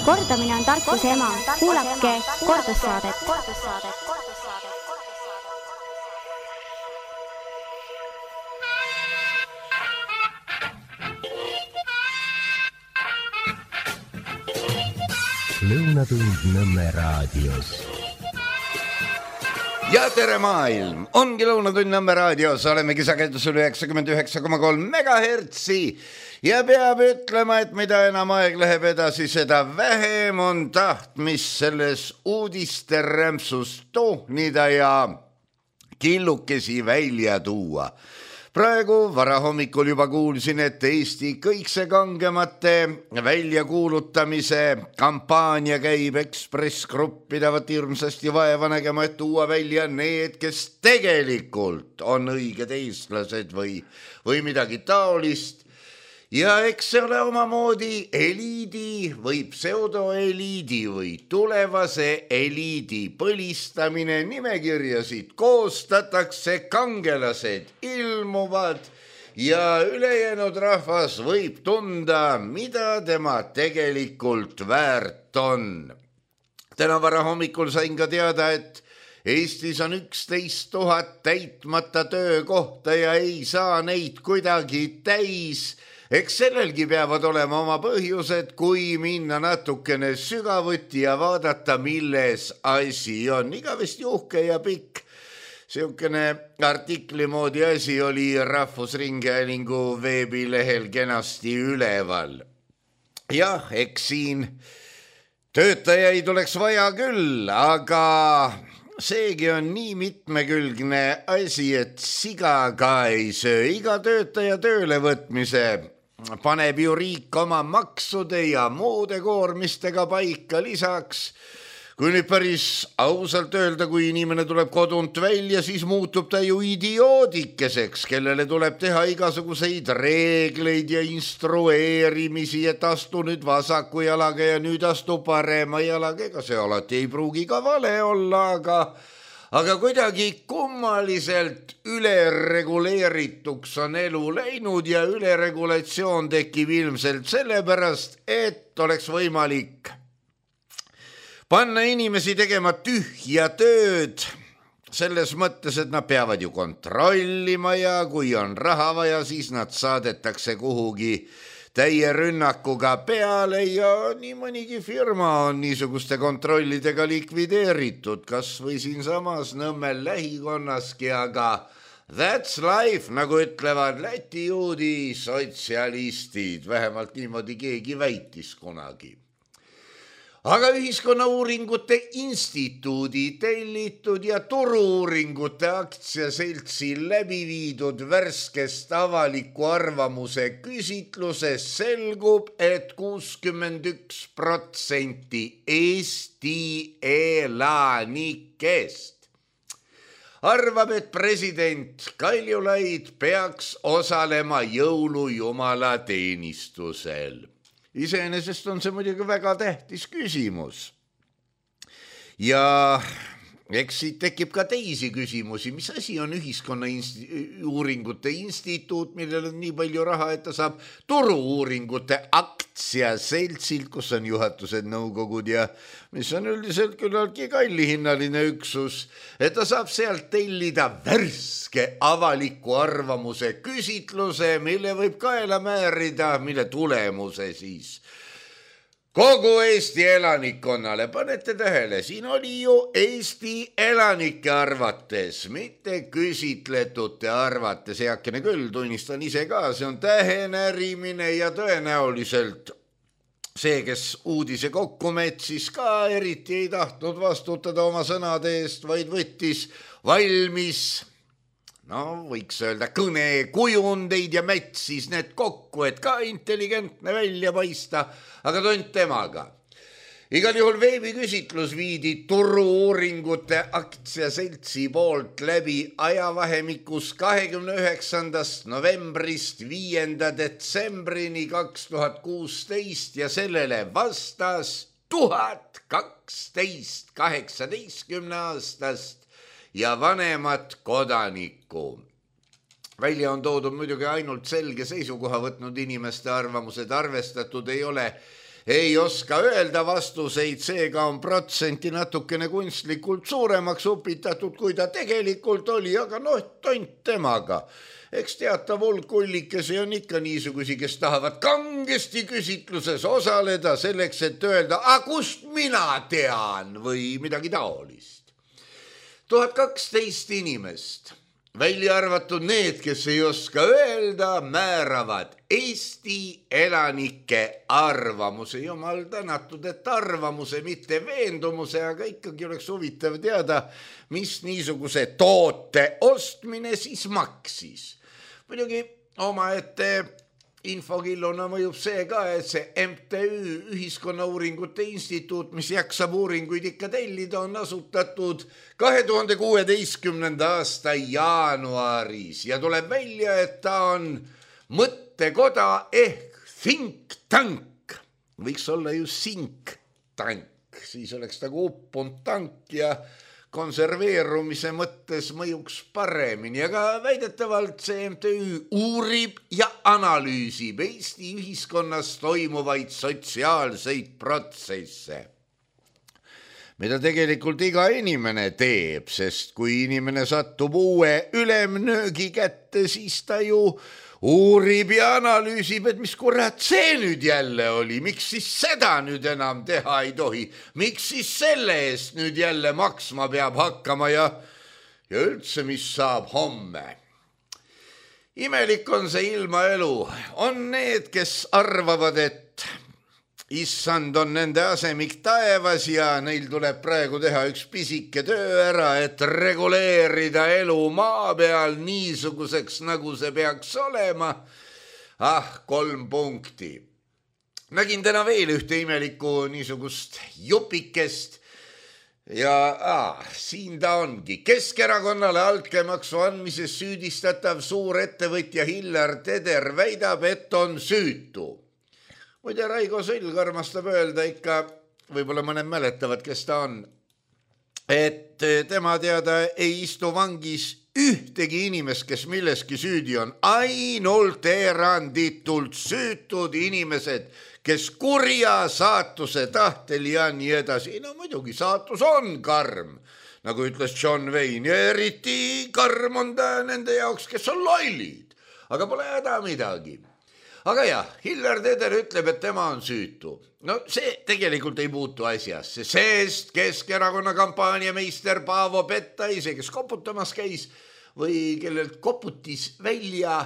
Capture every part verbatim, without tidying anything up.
Kordamine on tarkuse ema. Kuulake kordussaadet. Lõunatund Nõmme raadios. Ja tere maailm! Ongi Lõunatund Nõmme raadios. Olemegi sagedusel üheksakümmend üheksa koma kolm megahertsi. Ja peab ütlema, et mida enam aeg läheb edasi, seda vähem on tahtmist selles uudiste rämpsust tohnida ja killukesi välja tuua. Praegu varahommikul juba kuulsin, et Eesti kõikse kangemate väljakuulutamise kampaania käib. Ekspress Grupp pidavat hirmsasti vaeva nägema, et tuua välja need, kes tegelikult on õiged eestlased või, või midagi taolist. Ja eks see ole omamoodi eliidi või pseudoeliidi või tulevase eliidi põlistamine. Nimekirjasid koostatakse, kangelased ilmuvad ja ülejäänud rahvas võib tunda, mida tema tegelikult väärt on. Täna varahommikul sain ka teada, et Eestis on üksteist tuhat täitmata töökohta ja ei saa neid kuidagi täis. Eks sellelgi peavad olema oma põhjused, kui minna natukene sügavuti ja vaadata, milles asi on. Igavesti uhke ja pikk. Siukene artikli moodi asi oli Rahvusringhäälingu veebilehel kenasti üleval. Jah, eks siin töötajaid oleks vaja küll, aga seegi on nii mitmekülgne asi, et siga ka ei söö. Iga töötaja tööle võtmise paneb ju riik oma maksude ja muude koormistega paika. Lisaks, kui nüüd päris ausalt öelda, kui inimene tuleb kodunt välja, siis muutub ta ju idioodikeseks, kellele tuleb teha igasuguseid reegleid ja instrueerimisi, et astu nüüd vasaku jalaga ja nüüd astu parema jalaga. Ega see alati ei pruugi ka vale olla, aga Aga kuidagi kummaliselt ülereguleerituks on elu läinud ja üleregulatsioon tekib ilmselt sellepärast, et oleks võimalik panna inimesi tegema tühja tööd selles mõttes, et nad peavad ju kontrollima ja kui on raha vaja, siis nad saadetakse kuhugi täie rünnakuga peale ja nii mõnigi firma on niisuguste kontrollidega likvideeritud, kas või siinsamas Nõmmel lähikonnaski, aga that's life, nagu ütlevad Läti juudi sotsialistid, vähemalt niimoodi keegi väitis kunagi. Aga Ühiskonnauuringute Instituudi tellitud ja Turu-uuringute aktsiaseltsi läbi viidud värskest avaliku arvamuse küsitluses selgub, et kuuskümmend üks protsenti Eesti elanikest arvab, et president Kaljulaid peaks osalema jõulujumala teenistusel. Iseenesest on see muidugi väga tähtis küsimus. Ja eks siit tekib ka teisi küsimusi, mis asi on Ühiskonnauuringute Instituut, millel on nii palju raha, et ta saab Turu-uuringute aktsiaseltsilt, kus on juhatused, nõukogud ja mis on üldiselt küllaltki kallihinnaline üksus, et ta saab sealt tellida värske avaliku arvamuse küsitluse, mille võib kaela määrida, mille tulemuse siis kogu Eesti elanikkonnale. Panete tähele, siin oli ju Eesti elanike arvates, mitte küsitletute arvates. Heakene küll, tunnistan ise ka, see on tähenärimine ja tõenäoliselt see, kes uudise kokku metsis, ka eriti ei tahtnud vastutada oma sõnade eest, vaid võttis valmis, no võiks öelda, kõne kujundeid ja mätsis need kokku, et ka intelligentne välja paista, aga tont temaga. Igal juhul veebiküsitlus viidi Turu-uuringute aktsiaseltsi poolt läbi ajavahemikus kahekümne üheksandast novembrist viienda detsembrini kaks tuhat kuusteist ja sellele vastas tuhat kaksteist kaheksateistkümne aastast ja vanemat kodanikku. Välja on toodud muidugi ainult selge seisukoha võtnud inimeste arvamused, arvestatud ei ole ei oska öelda vastuseid, seega on protsenti natukene kunstlikult suuremaks upitatud, kui ta tegelikult oli, aga noh, tont temaga. Eks teatav hulk ullikesi on ikka niisugusi, kes tahavad kangesti küsitluses osaleda selleks, et öelda, a kust mina tean või midagi taolist. tuhat kaksteist inimest, välja arvatud need, kes ei oska öelda, määravad Eesti elanike arvamuse. Jumal tänatud, et arvamuse, mitte veendumuse, aga ikkagi oleks huvitav teada, mis niisuguse toote ostmine siis maksis. Muidugi omaette infokilluna mõjub see ka, et see M T Ü Ühiskonnauuringute Instituut, mis jaksab uuringuid ikka tellida, on asutatud kahe tuhande kuueteistkümnenda aasta jaanuaris ja tuleb välja, et ta on mõttekoda ehk think tank. Võiks olla ju think tank, siis oleks nagu uppunud tank ja konserveerumise mõttes mõjuks paremini, aga väidetavalt see M T Ü uurib ja analüüsib Eesti ühiskonnas toimuvaid sotsiaalseid protsesse, mida tegelikult iga inimene teeb, sest kui inimene satub uue ülemnöögi kätte, siis ta ju uurib ja analüüsib, et mis kurat see nüüd jälle oli, miks siis seda nüüd enam teha ei tohi, miks siis selle eest nüüd jälle maksma peab hakkama ja, ja üldse, mis saab homme. Imelik on see ilmaelu, on need, kes arvavad, et issand on nende asemik taevas ja neil tuleb praegu teha üks pisike töö ära, et reguleerida elu maa peal niisuguseks, nagu see peaks olema. Ah, kolm punkti. Nägin täna veel ühte imelikku niisugust jupikest ja ah, siin ta ongi. Keskerakonnale altkäemaksu andmises süüdistatav suur ettevõtja Hillar Teder väidab, et on süütu. Muide, Raigo Sõlg armastab öelda ikka, võib-olla mõned mäletavad, kes ta on, et tema teada ei istu vangis ühtegi inimest, kes milleski süüdi on, ainult eranditult süütud inimesed, kes kurja saatuse tahtel ja nii edasi. No muidugi, saatus on karm, nagu ütles John Wayne, ja eriti karm on ta nende jaoks, kes on lollid, aga pole häda midagi. Aga jah, Hillar Teder ütleb, et tema on süütu. No see tegelikult ei puutu asjasse, sest Keskerakonna kampaaniameister Paavo Pettaise, kes koputamas käis või kellelt koputis välja,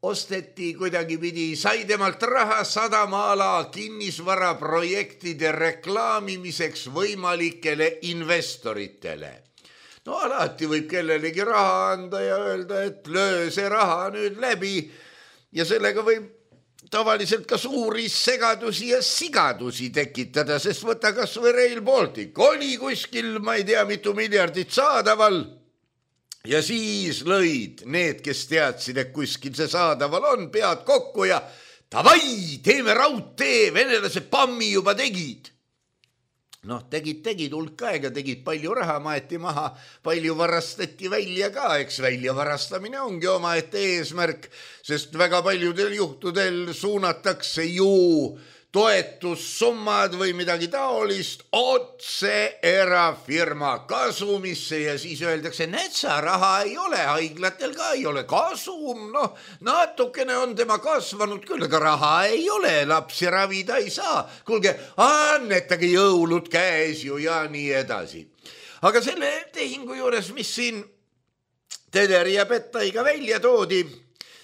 osteti kuidagi pidi, sai temalt raha sadamaala kinnisvara projektide reklaamimiseks võimalikele investoritele. No alati võib kellelegi raha anda ja öelda, et löö see raha nüüd läbi ja sellega võib tavaliselt ka suuri segadusi ja sigadusi tekitada, sest võta kas või Rail Baltic. Oli kuskil, ma ei tea, mitu miljardit saadaval ja siis lõid need, kes teadsid, et kuskil see saadaval on, pead kokku ja tavai, teeme raudtee, venelased pammi juba tegid. Noh, tegid, tegid hulk aega, tegid palju raha, maeti maha, palju varastati välja ka, eks välja varastamine ongi omaette eesmärk, sest väga paljudel juhtudel suunatakse ju toetussummad või midagi taolist otse erafirma kasumisse ja siis öeldakse, näed sa, raha ei ole, haiglatel ka ei ole kasum, noh, natukene on tema kasvanud küll, aga raha ei ole, lapsi ravida ei saa, kuulge, annetage jõulud käes ju ja nii edasi. Aga selle tehingu juures, mis siin Tederi ja Pettaiga välja toodi,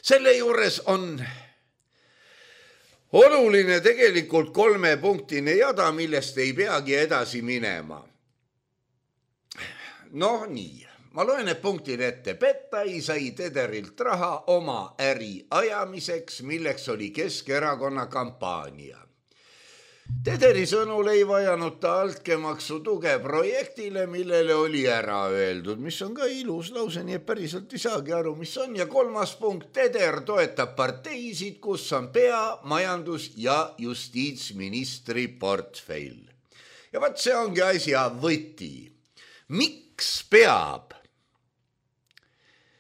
selle juures on oluline tegelikult kolmepunktine jada, millest ei peagi edasi minema. Noh nii, ma loen need punktid ette. Pettai sai Tederilt raha oma äri ajamiseks, milleks oli Keskerakonna kampaania. Tederi sõnul ei vajanud ta altkäemaksu tuge projektile, millele oli ära öeldud, mis on ka ilus lause, nii et päriselt ei saagi aru, mis on. Ja kolmas punkt, Teder toetab parteisid, kus on pea, majandus ja justiitsministri portfell. Ja vaat see ongi asja võti. Miks peab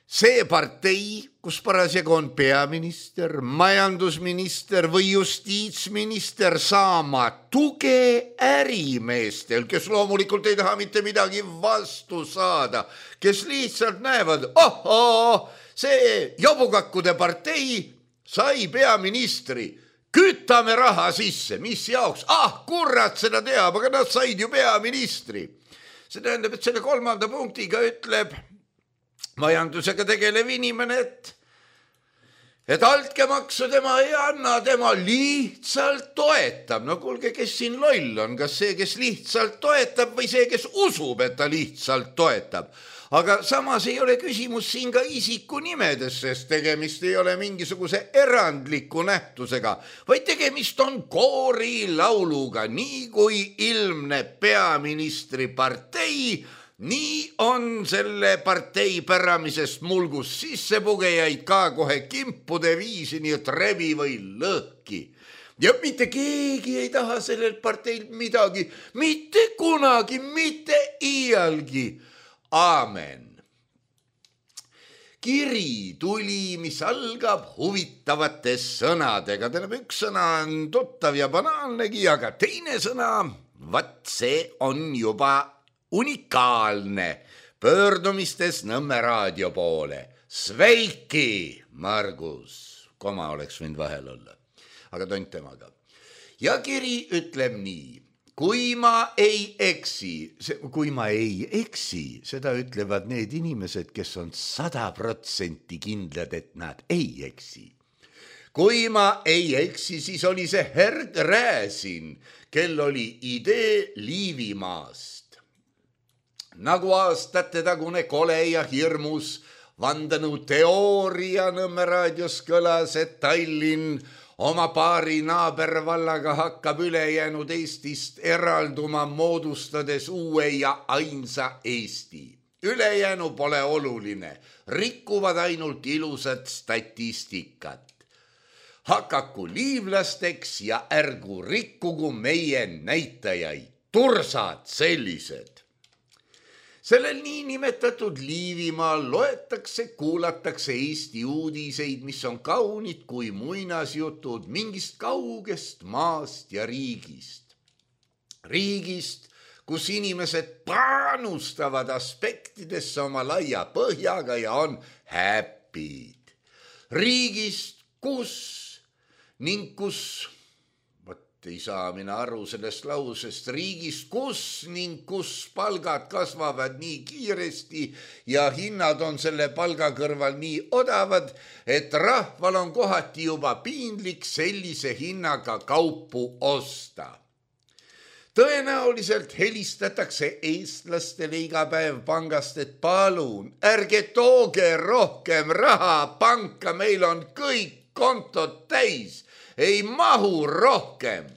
see partei, kus parasjagu on peaminister, majandusminister või justiitsminister saama tuge ärimeestel, kes loomulikult ei taha mitte midagi vastu saada, kes lihtsalt näevad, ohoo, see jobukakkude partei sai peaministri, kütame raha sisse, mis jaoks, ah kurat seda teab, aga nad said ju peaministri. See tähendab, et selle kolmanda punktiga ütleb majandusega tegelev inimene, et, et altkäemaksu tema ei anna, tema lihtsalt toetab. No kuulge, kes siin loll on, kas see, kes lihtsalt toetab või see, kes usub, et ta lihtsalt toetab. Aga samas ei ole küsimus siin ka isiku nimedes, sest tegemist ei ole mingisuguse erandliku nähtusega, vaid tegemist on koorilauluga, nii kui ilmneb peaministri partei, nii on selle partei päramisest mulgus sissepugejaid ka kohe kimpude viisi, nii et rebi või lõhki. Ja mitte keegi ei taha sellelt parteilt midagi, mitte kunagi, mitte iialgi. Aamen. Kiri tuli, mis algab huvitavate sõnadega. Tähendab, üks sõna on tuttav ja banaalnegi, aga teine sõna, vat see on juba unikaalne. Pöördumistes Nõmme raadio poole. Sveiki, Margus. Koma oleks võinud vahel olla. Aga tont temaga. Ja kiri ütleb nii. Kui ma ei eksi, kui ma ei eksi, seda ütlevad need inimesed, kes on sada protsenti kindlad, et nad ei eksi. Kui ma ei eksi, siis oli see Herd Rääsin, kel oli idee Liivimaast. Nagu aastate tagune kole ja hirmus vandanu teooria Nõmme raadios kõlas, et Tallinn oma paari naabervallaga hakkab ülejäänud Eestist eralduma, moodustades uue ja ainsa Eesti. Ülejäänu pole oluline, rikuvad ainult ilusat statistikat. Hakaku liivlasteks ja ärgu rikkugu meie näitajaid, tursad sellised. Sellel niinimetatud Liivimaal loetakse, kuulatakse Eesti uudiseid, mis on kaunid kui muinasjutud mingist kaugest maast ja riigist. Riigist, kus inimesed panustavad aspektidesse oma laia põhjaga ja on happy'd. Riigist, kus ning kus... ei saa mina aru sellest lausest, riigist, kus ning kus palgad kasvavad nii kiiresti ja hinnad on selle palga kõrval nii odavad, et rahval on kohati juba piinlik sellise hinnaga kaupu osta. Tõenäoliselt helistatakse eestlastele iga päev pangast, et palun, ärge tooge rohkem raha panka, meil on kõik kontod täis. Ei mahu rohkem.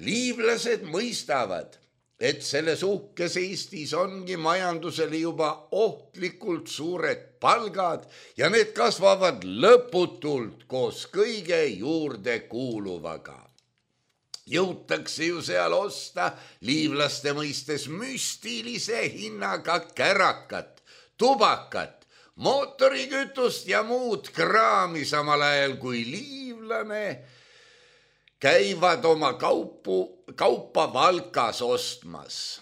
Liivlased mõistavad, et selles uhkes Eestis ongi majandusele juba ohtlikult suured palgad ja need kasvavad lõputult koos kõige juurde kuuluvaga. Jõutakse ju seal osta liivlaste mõistes müstilise hinnaga kärakat, tubakat, mootorikütust ja muud kraami, samal ajal kui liivlane käivad oma kaupu, kaupa Valkas ostmas.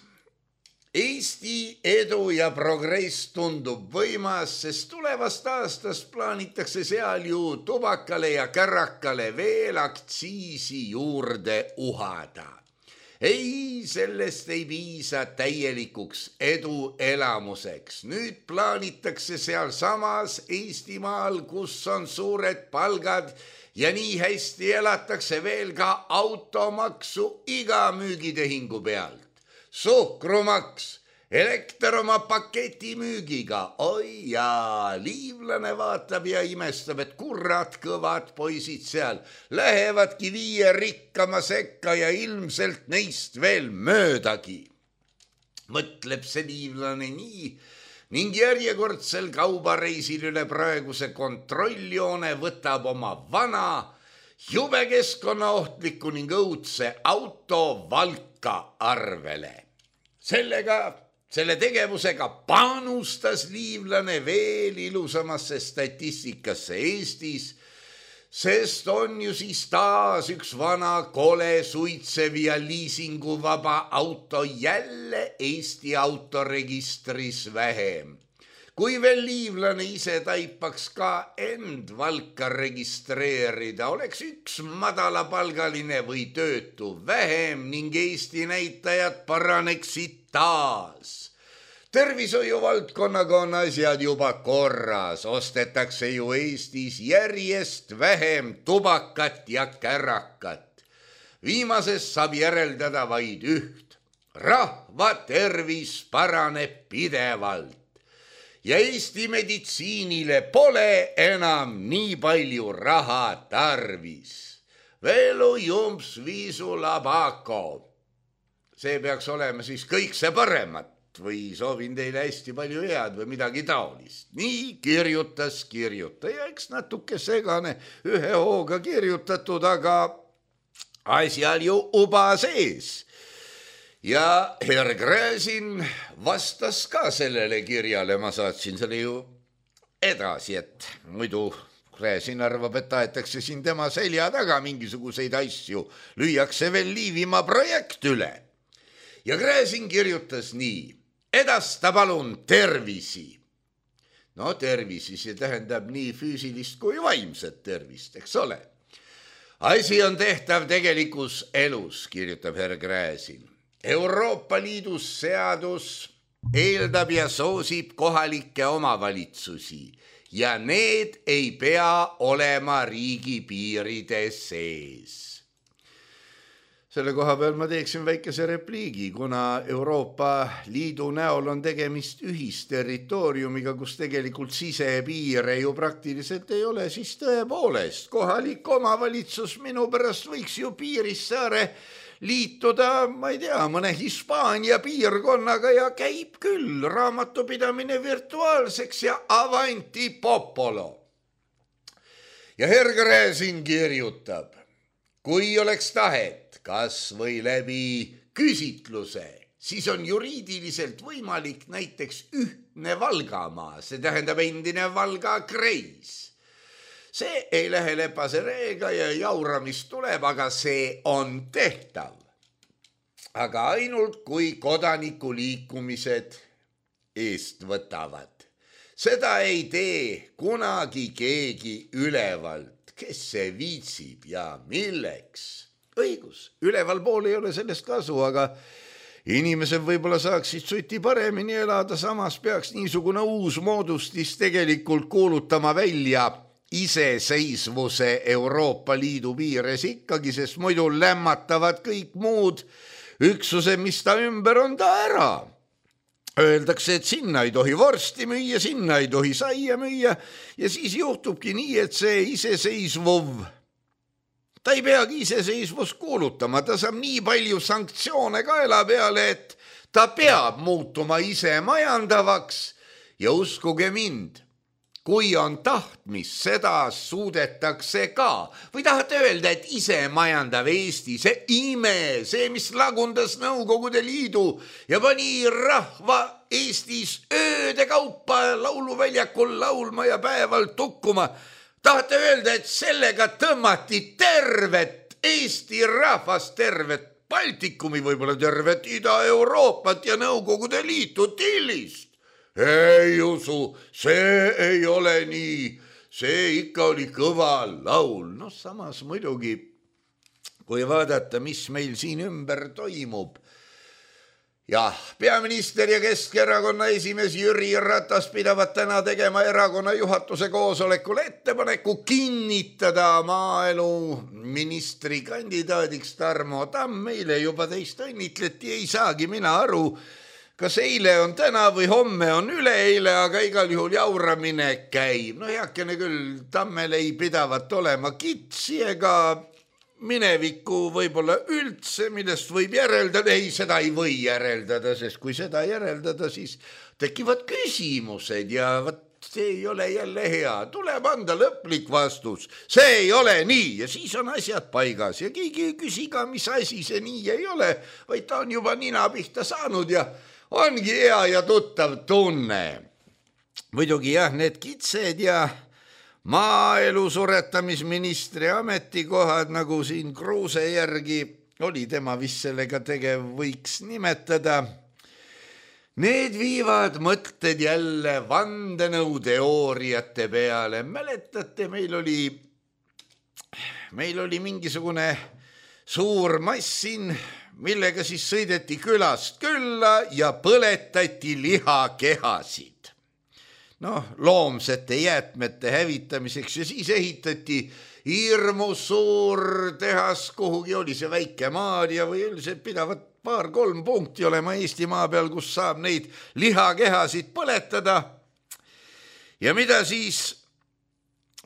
Eesti edu ja progress tundub võimas, sest tulevast aastast plaanitakse seal ju tubakale ja kärakale veel aktsiisi juurde uhada. Ei, sellest ei piisa täielikuks edu elamuseks. Nüüd plaanitakse seal samas Eestimaal, kus on suured palgad ja nii hästi elatakse veel ka automaksu iga müügitehingu pealt. Suhkrumaks, elekter oma paketi müügiga. Oi jaa, liivlane vaatab ja imestab, et kurat kõvad poisid seal lähevadki viie rikkama sekka ja ilmselt neist veel möödagi. Mõtleb see liivlane nii ning järjekordsel kaubareisil üle praeguse kontrolljoone võtab oma vana, jube keskkonnaohtliku ning õudse auto Valka arvele. Sellega Selle tegevusega panustas liivlane veel ilusamasse statistikasse Eestis, sest on ju siis taas üks vana kole suitsev ja liisinguvaba auto jälle Eesti autoregistris vähem. Kui veel liivlane ise taipaks ka end valka registreerida, oleks üks madalapalgaline või töötu vähem ning Eesti näitajad paraneksid taas. Tervishoiu valdkonnaga on asjad juba korras, ostetakse ju Eestis järjest vähem tubakat ja kärakat. Viimasest saab järeldada vaid üht. Rahva tervis paraneb pidevalt. Ja Eesti meditsiinile pole enam nii palju raha tarvis. Velu jumps viisu labako. See peaks olema siis kõik see paremat või soovin teile hästi palju head või midagi taolist. Nii kirjutas kirjutaja, eks natuke segane ühe hooga kirjutatud, aga asjal ju uba sees. Ja Herr Gräzin vastas ka sellele kirjale, ma saatsin selle ju edasi, et muidu Gräzin arvab, et tahetakse siin tema selja taga mingisuguseid asju, lüüakse veel Liivimaa projekt üle. Ja Gräzin kirjutas nii, edasta palun tervisi. No tervisi, see tähendab nii füüsilist kui vaimset tervist, eks ole. Asi on tehtav tegelikus elus, kirjutab Herr Gräzin. Euroopa Liidus seadus eeldab ja soosib kohalikke omavalitsusi ja need ei pea olema riigi piiride sees. Selle koha peal ma teeksin väikese repliigi, kuna Euroopa Liidu näol on tegemist ühisterritooriumiga, kus tegelikult sisepiire ju praktiliselt ei ole, siis tõepoolest kohalik omavalitsus minu pärast võiks ju Piirissaare liituda, ma ei tea, mõne Hispaania piirkonnaga ja käib küll raamatupidamine virtuaalseks ja avanti popolo. Ja Herr Gräzin kirjutab, kui oleks tahet, kas või läbi küsitluse, siis on juriidiliselt võimalik näiteks ühtne Valgamaa, see tähendab endine Valga kreis. See ei lähe lepase reega ja jauramist tuleb, aga see on tehtav. Aga ainult kui kodanikuliikumised eest võtavad. Seda ei tee kunagi keegi ülevalt, kes see viitsib ja milleks. Õigus, üleval pool ei ole sellest kasu, aga inimesed võib-olla saaksid suti paremini elada, samas peaks niisugune uus moodustis tegelikult kuulutama välja iseseisvuse Euroopa Liidu piires ikkagi, sest muidu lämmatavad kõik muud üksused, mis ta ümber on ta ära. Öeldakse, et sinna ei tohi vorsti müüa, sinna ei tohi saia müüa ja siis juhtubki nii, et see iseseisvuv, ta ei peagi iseseisvust kuulutama, ta saab nii palju sanktsioone kaela peale, et ta peab muutuma ise majandavaks ja uskuge mind, kui on tahtmis, seda suudetakse ka. Või tahate öelda, et ise majandav Eesti, see ime, see, mis lagundas Nõukogude Liidu ja pani rahva Eestis ööde kaupa lauluväljakul laulma ja päevalt tukkuma. Tahate öelda, et sellega tõmmati tervet Eesti rahvast, tervet Baltikumi, võib-olla tervet Ida-Euroopat ja Nõukogude Liitu tillist. Ei usu, see ei ole nii, see ikka oli kõva laul. No samas muidugi, kui vaadata, mis meil siin ümber toimub. Jah, peaminister ja Keskerakonna esimees Jüri Ratas pidavad täna tegema erakonna juhatuse koosolekul ettepaneku kinnitada maaelu ministri kandidaadiks Tarmo Tamm. Meile juba teist õnnitleti, ei saagi mina aru, kas eile on täna või homme on üleeile, aga igal juhul jauramine käib. No heakene küll, Tammel ei pidavat olema kitsi ega minevikku võib-olla üldse, millest võib järeldada. Ei, seda ei või järeldada, sest kui seda järeldada, siis tekivad küsimused ja võt, see ei ole jälle hea. Tuleb anda lõplik vastus. See ei ole nii ja siis on asjad paigas ja keegi ei küsi ka, mis asi see nii ei ole, vaid ta on juba nina pihta saanud ja ongi hea ja tuttav tunne. Muidugi jah, need kitsed ja maaelu suretamisministri ametikohad, nagu siin Kruuse järgi oli tema vist sellega tegev, võiks nimetada. Need viivad mõtted jälle vandenõuteooriate peale. Mäletate, meil oli, meil oli mingisugune suur massin, millega siis sõideti külast külla ja põletati lihakehasid. Noh, loomsete jäätmete hävitamiseks ja siis ehitati hirmus suur tehas, kuhugi oli see väike Maarja või üldiselt pidavat paar-kolm punkti olema Eestimaa peal, kus saab neid lihakehasid põletada. Ja mida siis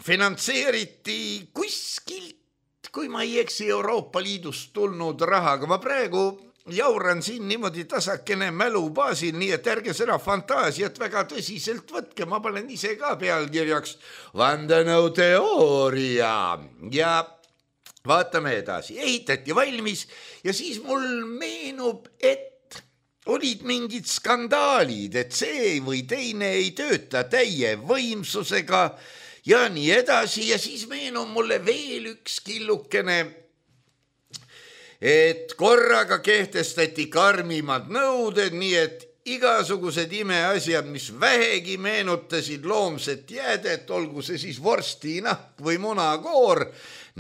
finantseeriti kuskilt, kui ma ei eksi, Euroopa Liidust tulnud rahaga. Ma praegu jauran siin niimoodi tasakene mälu baasil, nii et ärge seda fantaasiat väga tõsiselt võtke. Ma panen ise ka pealkirjaks vandenõuteooria ja vaatame edasi. Ehitati valmis ja siis mul meenub, et olid mingid skandaalid, et see või teine ei tööta täie võimsusega ja nii edasi. Ja siis meenub mulle veel üks killukene, et korraga kehtestati karmimad nõuded, nii et igasugused imeasjad, mis vähegi meenutasid loomset jäädet, olgu see siis vorstinahk või munakoor,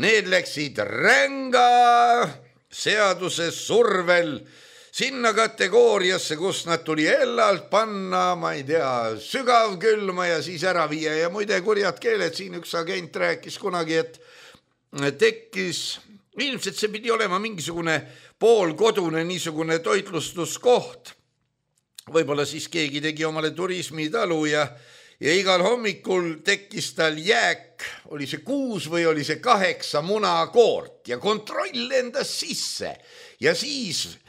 need läksid ränga seaduse survel sinna kategooriasse, kus nad tuli ellalt panna, ma ei tea, sügav külma ja siis ära viia. Ja muide kurjad keeled, siin üks agent rääkis kunagi, et tekkis, ilmselt see pidi olema mingisugune poolkodune niisugune toitlustuskoht. Võib-olla siis keegi tegi omale turismitalu ja, ja igal hommikul tekkis tal jääk, oli see kuus või oli see kaheksa munakoort ja kontroll lendas sisse. Ja siis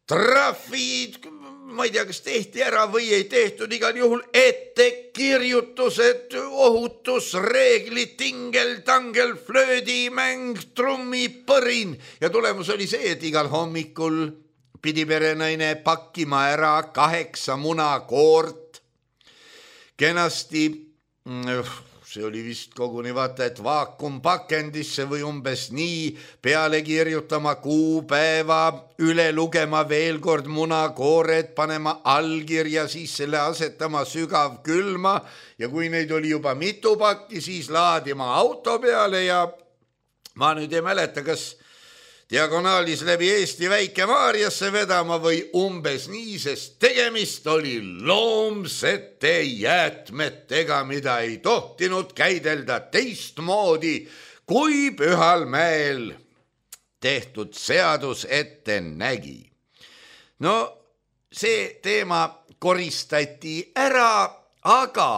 trahvid, ma ei tea, kas tehti ära või ei tehtud, igal juhul ettekirjutused, ohutusreeglid, tingel, tangel, flöödimäng, trummipõrin. Ja tulemus oli see, et igal hommikul pidi perenaine pakkima ära kaheksa munakoort. Kenasti, see oli vist koguni vaata, et vaakumpakendisse või umbes nii, peale kirjutama kuupäeva, üle lugema veel kord munakoored, panema allkirja, siis selle asetama sügav külma ja kui neid oli juba mitu pakki, siis laadima auto peale ja ma nüüd ei mäleta, kas diagonaalis läbi Eesti Väike-Maarjasse vedama või umbes nii, sest tegemist oli loomsete jäätmetega, mida ei tohtinud käidelda teistmoodi, kui Pühal mäel tehtud seadus ette nägi. No see teema koristati ära, aga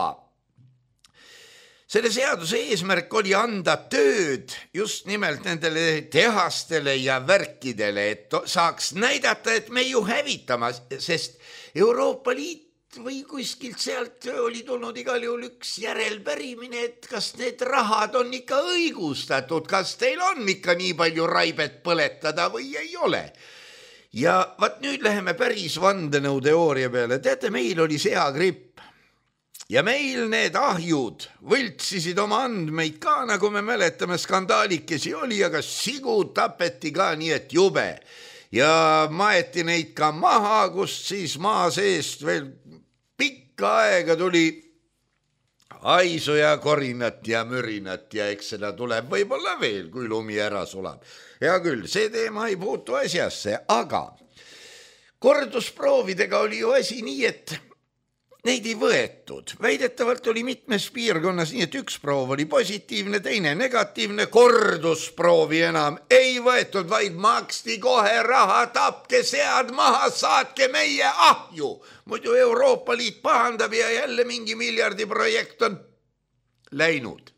selle seaduse eesmärk oli anda tööd just nimelt nendele tehastele ja värkidele, et saaks näidata, et me ju hävitama, sest Euroopa Liit või kuskilt sealt oli tulnud igal juhul üks järelpärimine, et kas need rahad on ikka õigustatud, kas teil on ikka nii palju raibet põletada või ei ole. Ja vaat nüüd läheme päris vandenõuteooria peale. Teate, meil oli seagripp. Ja meil need ahjud võltsisid oma andmeid ka, nagu me mäletame, skandaalikesi oli, aga sigu tapeti ka nii, et jube. Ja maeti neid ka maha, kust siis maa seest veel pikka aega tuli haisu ja korinat ja mürinat ja eks seda tuleb võib-olla veel, kui lumi ära sulab. Hea küll, see teema ei puutu asjasse, aga kordusproovidega oli ju asi nii, et neid ei võetud. Väidetavalt oli mitmes piirkonnas nii, et üks proov oli positiivne, teine negatiivne, kordusproovi enam ei võetud, vaid maksti kohe raha, tapke sead maha, saatke meie ahju. Muidu Euroopa Liit pahandab ja jälle mingi miljardi projekt on läinud.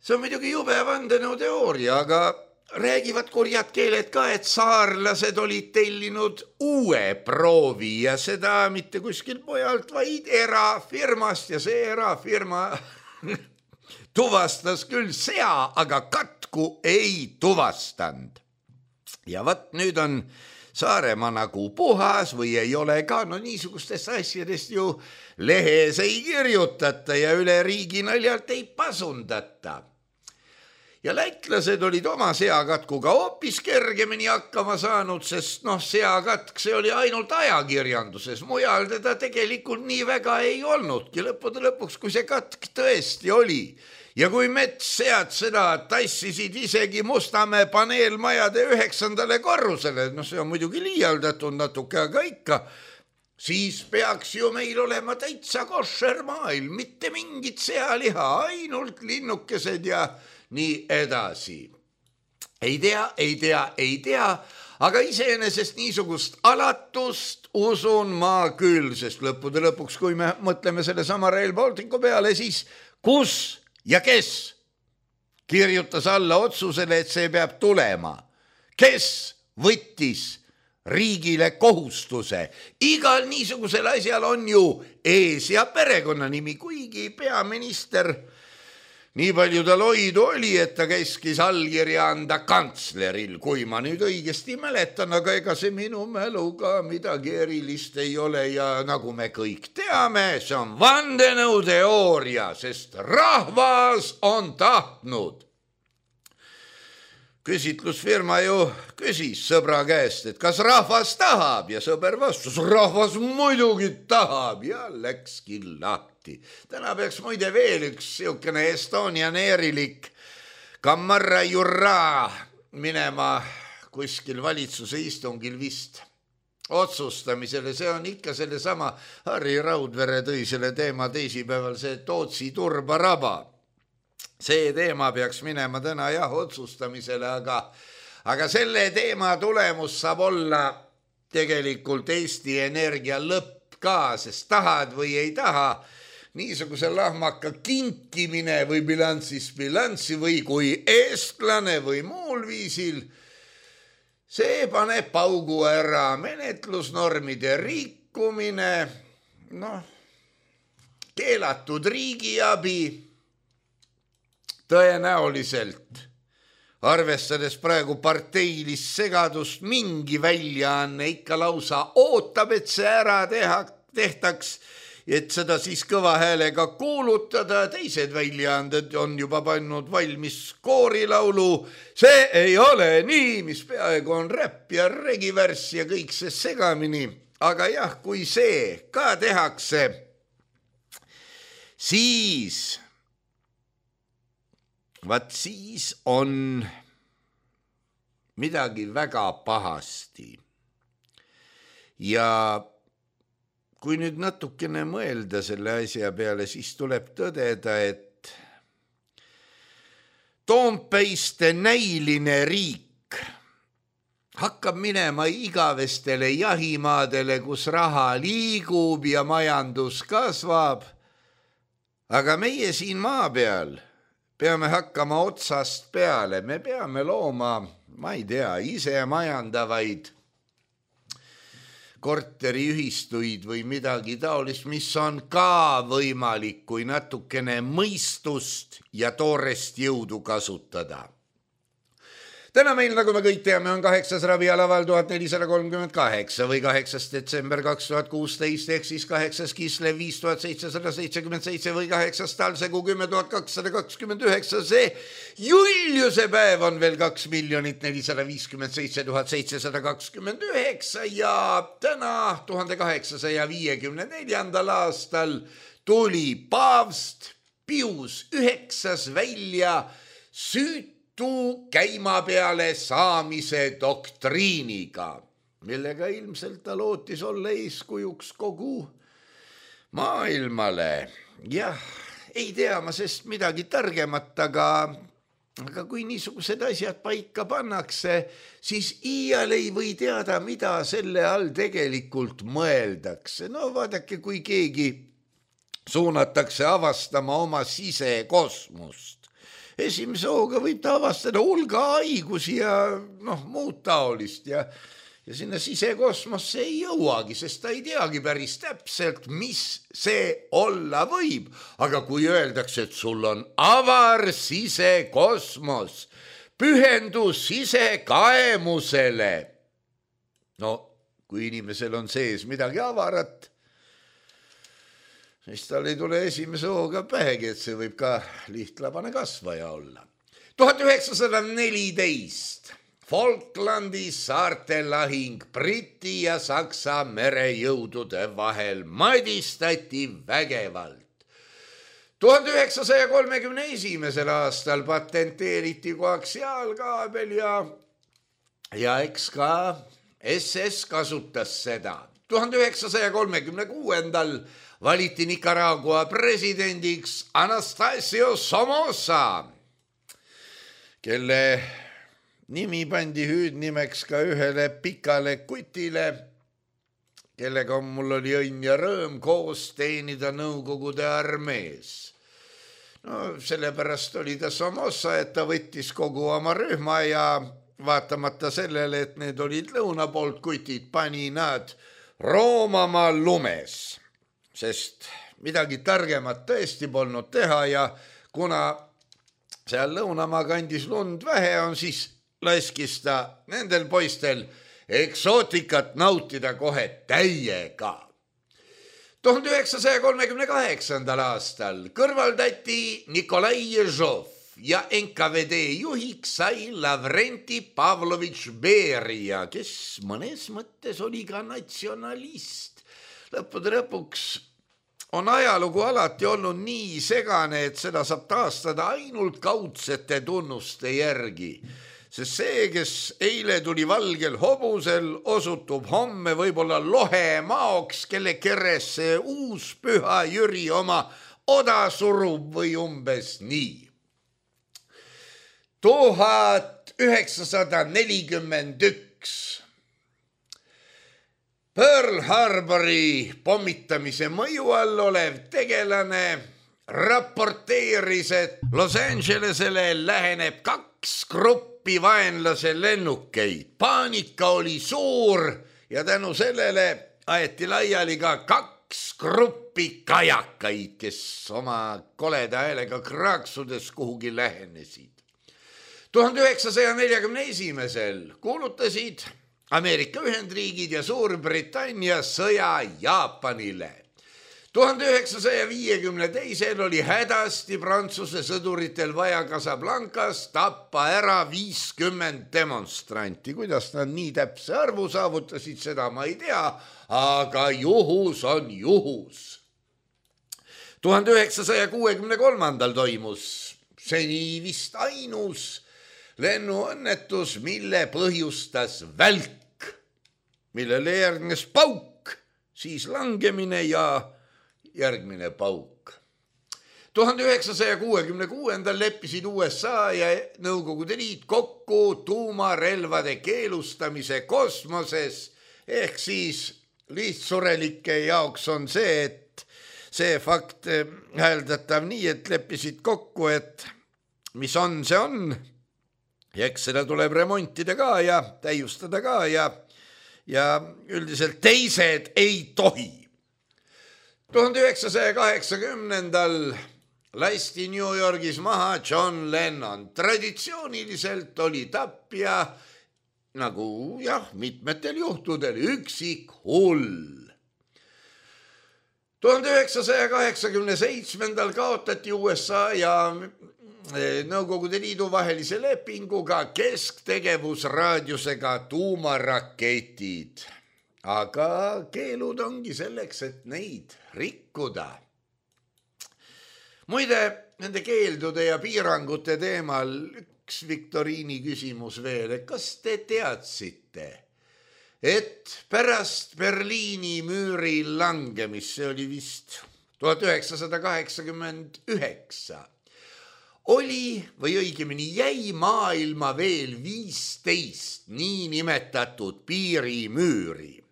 See on muidugi jube vandenõuteooria, aga räägivad kurjad keeled ka, et saarlased olid tellinud uue proovi ja seda mitte kuskil pojalt, vaid erafirmast ja see erafirma tuvastas küll sea, aga katku ei tuvastanud. Ja vat nüüd on Saaremaa nagu puhas või ei ole ka, no niisugustest asjadest ju lehes ei kirjutata ja üle riigi naljalt ei pasundata. Ja lätlased olid oma seakatkuga hoopis kergemini hakkama saanud, sest noh, seakatk, see oli ainult ajakirjanduses, mujal teda tegelikult nii väga ei olnudki, lõppude lõpuks, kui see katk tõesti oli. Ja kui metssead seda tassisid isegi Mustamäe paneelmajade üheksandale korrusele, no see on muidugi liialdatud natuke, aga ikka, siis peaks ju meil olema täitsa košer maailm, mitte mingit sealiha, ainult linnukesed ja nii edasi. Ei tea, ei tea, ei tea, aga iseenesest niisugust alatust usun ma küll, sest lõppude lõpuks, kui me mõtleme selle sama Rail Balticu peale, siis kus ja kes kirjutas alla otsusele, et see peab tulema? Kes võttis riigile kohustuse? Igal niisugusel asjal on ju ees- ja perekonnanimi, kuigi peaminister nii palju tal hoidu oli, et ta käskis allkirja anda kantsleril, kui ma nüüd õigesti mäletan, aga ega see minu mäluga midagi erilist ei ole ja nagu me kõik teame, see on vandenõuteooria, sest rahvas on tahtnud. Küsitlusfirma ju küsis sõbra käest, et kas rahvas tahab ja sõber vastus, rahvas muidugi tahab ja läkski lahti. Täna peaks muide veel üks siukene Estonian Airilik Kammarra Jurra minema kuskil valitsuse istungil vist otsustamisele. See on ikka selle sama Harri Raudvere tõi selle teema teisipäeval, see Tootsi turbaraba. See teema peaks minema täna jah otsustamisele, aga, aga selle teema tulemus saab olla tegelikult Eesti Energia lõpp ka, sest tahad või ei taha, niisuguse lahmaka kinkimine või bilansis bilanssi või kui eestlane või muul viisil, see paneb paugu ära. Menetlusnormide rikkumine, noh, keelatud riigiabi, tõenäoliselt, arvestades praegu parteilist segadust, mingi väljaanne ikka lausa ootab, et see ära teha, tehtaks, et seda siis kõva häälega kuulutada. Teised väljaanded on juba pannud valmis koorilaulu. See ei ole nii, mis peaaegu on räpp ja regivärss ja kõik see segamini. Aga jah, kui see ka tehakse, siis vaat siis on midagi väga pahasti. Ja kui nüüd natukene mõelda selle asja peale, siis tuleb tõdeda, et Toompeiste näiline riik hakkab minema igavestele jahimaadele, kus raha liigub ja majandus kasvab. Aga meie siin maa peal peame hakkama otsast peale, me peame looma, ma ei tea, ise majandavaid korteriühistuid või midagi taolist, mis on ka võimalik, kui natukene mõistust ja toorest jõudu kasutada. Täna meil, nagu me kõik teame, on kaheksas ravialaval tuhat nelisada kolmkümmend kaheksa või kaheksas detsember kaks tuhat kuusteist ehk siis kaheksas Kislev viis tuhat seitsesada seitsekümmend seitse või kaheksas Talsegu kümme tuhat kakssada kakskümmend üheksa. See Juliuse päev on veel kaks miljonit nelisada viiskümmend seitse tuhat seitsesada kakskümmend üheksa ja täna tuhande kaheksasaja viiekümne neljandal aastal tuli paavst Pius üheksas välja süüt tu käima peale saamise doktriiniga, millega ilmselt ta lootis olla eeskujuks kogu maailmale. Jah, ei tea ma sest midagi targemat, aga, aga kui niisugused asjad paika pannakse, siis iial ei või teada, mida selle all tegelikult mõeldakse. No vaadake, kui keegi suunatakse avastama oma sisekosmust. Esimese hooga võib ta avastada hulga haigusi ja noh, muud taolist ja, ja sinna sisekosmosse ei jõuagi, sest ta ei teagi päris täpselt, mis see olla võib. Aga kui öeldakse, et sul on avar sisekosmos, pühendus sisekaemusele, no kui inimesel on sees midagi avarat, siis tal ei tule esimese hooga pähegi, et see võib ka lihtlabane kasvaja olla. tuhat üheksasada neliteist Falklandi saarte lahing Briti ja Saksa merejõudude vahel madistati vägevalt. tuhande üheksasaja kolmekümne esimesel aastal patenteeriti koaksiaalkaabel ja, ja eks ka S S kasutas seda. tuhande üheksasaja kolmekümne kuuendal valiti Nicaragua presidendiks Anastasio Somoza, kelle nimi pandi hüüdnimeks ka ühele pikale kutile, kellega mul oli õnn ja rõõm koos teenida Nõukogude armees. No sellepärast oli ta Somoza, et ta võttis kogu oma rühma ja vaatamata sellele, et need olid lõuna poolt kutid, pani nad Roomamaa lumes, sest midagi targemat tõesti polnud teha ja kuna seal lõunamaa kandis lund vähe on, siis laskis ta nendel poistel eksootikat nautida kohe täiega. tuhande üheksasaja kolmekümne kaheksandal aastal kõrvaldati Nikolai Ježov ja N K V D juhiks sai Lavrenti Pavlovitš Beria, kes mõnes mõttes oli ka natsionalist. Lõppude lõpuks on ajalugu alati olnud nii segane, et seda saab taastada ainult kaudsete tunnuste järgi. Sest see, kes eile tuli valgel hobusel, osutub homme võib-olla lohe maoks, kelle keresse uus püha Jüri oma oda surub või umbes nii. tuhat üheksasada nelikümmend üks Pearl Harbori pommitamise mõju all olev tegelane raporteeris, et Los Angelesele läheneb kaks gruppi vaenlase lennukeid. Paanika oli suur ja tänu sellele aeti laiali ka kaks gruppi kajakaid, kes oma koleda häälega kraaksudes kuhugi lähenesid. tuhande üheksasaja neljakümne esimesel kuulutasid Ameerika Ühendriigid ja Suurbritannia sõja Jaapanile. tuhande üheksasaja viiekümne teisel oli hädasti Prantsuse sõduritel vaja Casablancas tappa ära viiskümmend demonstranti. Kuidas nad nii täpse arvu saavutasid, seda ma ei tea, aga juhus on juhus. tuhande üheksasaja kuuekümne kolmandal toimus seni vist ainus lennuõnnetus, mille põhjustas välk, millele järgnes pauk, siis langemine ja järgmine pauk. tuhande üheksasaja kuuekümne kuuendal leppisid U S A ja Nõukogude Liit kokku tuumarelvade keelustamise kosmoses, ehk siis lihtsurelike jaoks on see, et see fakt hääldatav nii, et leppisid kokku, et mis on, see on. Ja eks seda tuleb remontida ka ja täiustada ka ja, ja üldiselt teised ei tohi. tuhande üheksasaja kaheksakümnendal lasti New Yorgis maha John Lennon. Traditsiooniliselt oli tapja, nagu jah, mitmetel juhtudel üksik hull. tuhande üheksasaja kaheksakümne seitsmendal kaotati U S A ja Nõukogude Liidu vahelise lepinguga kesktegevusraadiusega tuumaraketid. Aga keelud ongi selleks, et neid rikkuda. Muide, nende keeldude ja piirangute teemal üks viktoriini küsimus veel, et kas te teadsite, et pärast Berliini müüri langemist, see oli vist tuhat üheksasada kaheksakümmend üheksa, oli või õigemini jäi maailma veel viisteist niinimetatud piirimüüri.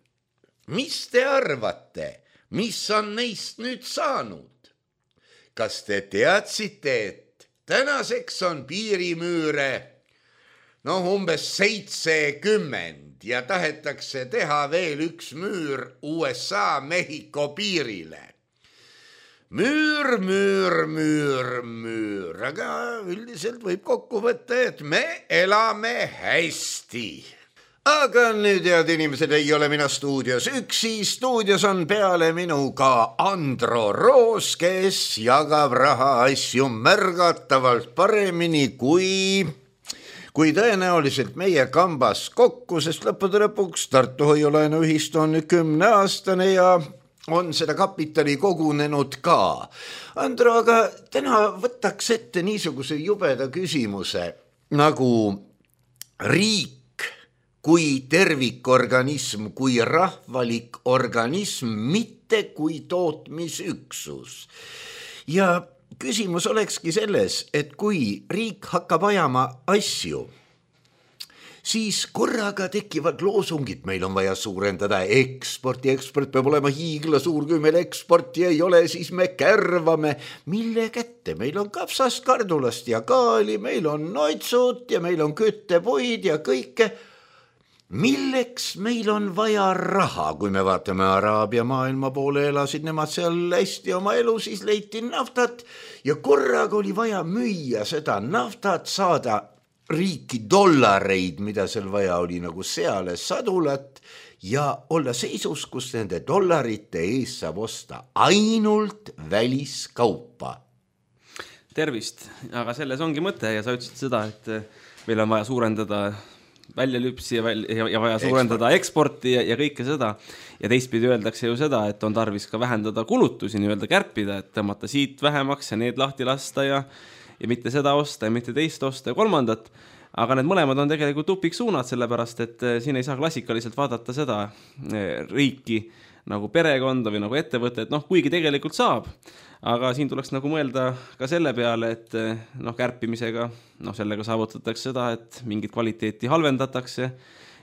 Mis te arvate, mis on neist nüüd saanud? Kas te teadsite, et tänaseks on piirimüüre noh umbes seitsekümmend ja tahetakse teha veel üks müür U S A Mehhiko piirile? Müür, müür, müür, müür, aga üldiselt võib kokku võtta, et me elame hästi. Aga nüüd, head inimesed, ei ole mina stuudios üksi, stuudios on peale minu ka Andro Roos, kes jagab raha asju märgatavalt paremini kui, kui tõenäoliselt meie kambas kokku, sest lõppude lõpuks Tartu Hoiulaenuühistu on nüüd kümneaastane ja on seda kapitali kogunenud ka. Andro, aga täna võtaks ette niisuguse jubeda küsimuse nagu riik kui tervikorganism, kui rahvalik organism, mitte kui tootmisüksus. Ja küsimus olekski selles, et kui riik hakkab ajama asju, siis korraga tekivad loosungid, meil on vaja suurendada eksporti, eksport peab olema hiigla suur, kui meil eksporti ei ole, siis me kärvame. Mille kätte? Meil on kapsast, kardulast ja kaali, meil on noitsud ja meil on küttepuid ja kõike. Milleks meil on vaja raha, kui me vaatame Araabia maailma poole, elasid nemad seal hästi oma elu, siis leiti naftat ja korraga oli vaja müüa seda naftat, saada riiki dollareid, mida seal vaja oli nagu seale sadulat ja olla seisus, kus nende dollarite ees saab osta ainult väliskaupa. Tervist, aga selles ongi mõte ja sa ütlesid seda, et meil on vaja suurendada väljalüpsi ja, väl, ja, ja vaja suurendada eksporti ja, ja kõike seda. Ja teistpidi öeldakse ju seda, et on tarvis ka vähendada kulutusi, nii-öelda kärpida, et tõmmata siit vähemaks ja need lahti lasta ja, ja mitte seda osta ja mitte teist osta ja kolmandat. Aga need mõlemad on tegelikult tupiksuunad, sellepärast, et siin ei saa klassikaliselt vaadata seda riiki nagu perekonda või nagu ettevõtet, noh, kuigi tegelikult saab. Aga siin tuleks nagu mõelda ka selle peale, et noh, kärpimisega, noh, sellega saavutatakse seda, et mingit kvaliteeti halvendatakse.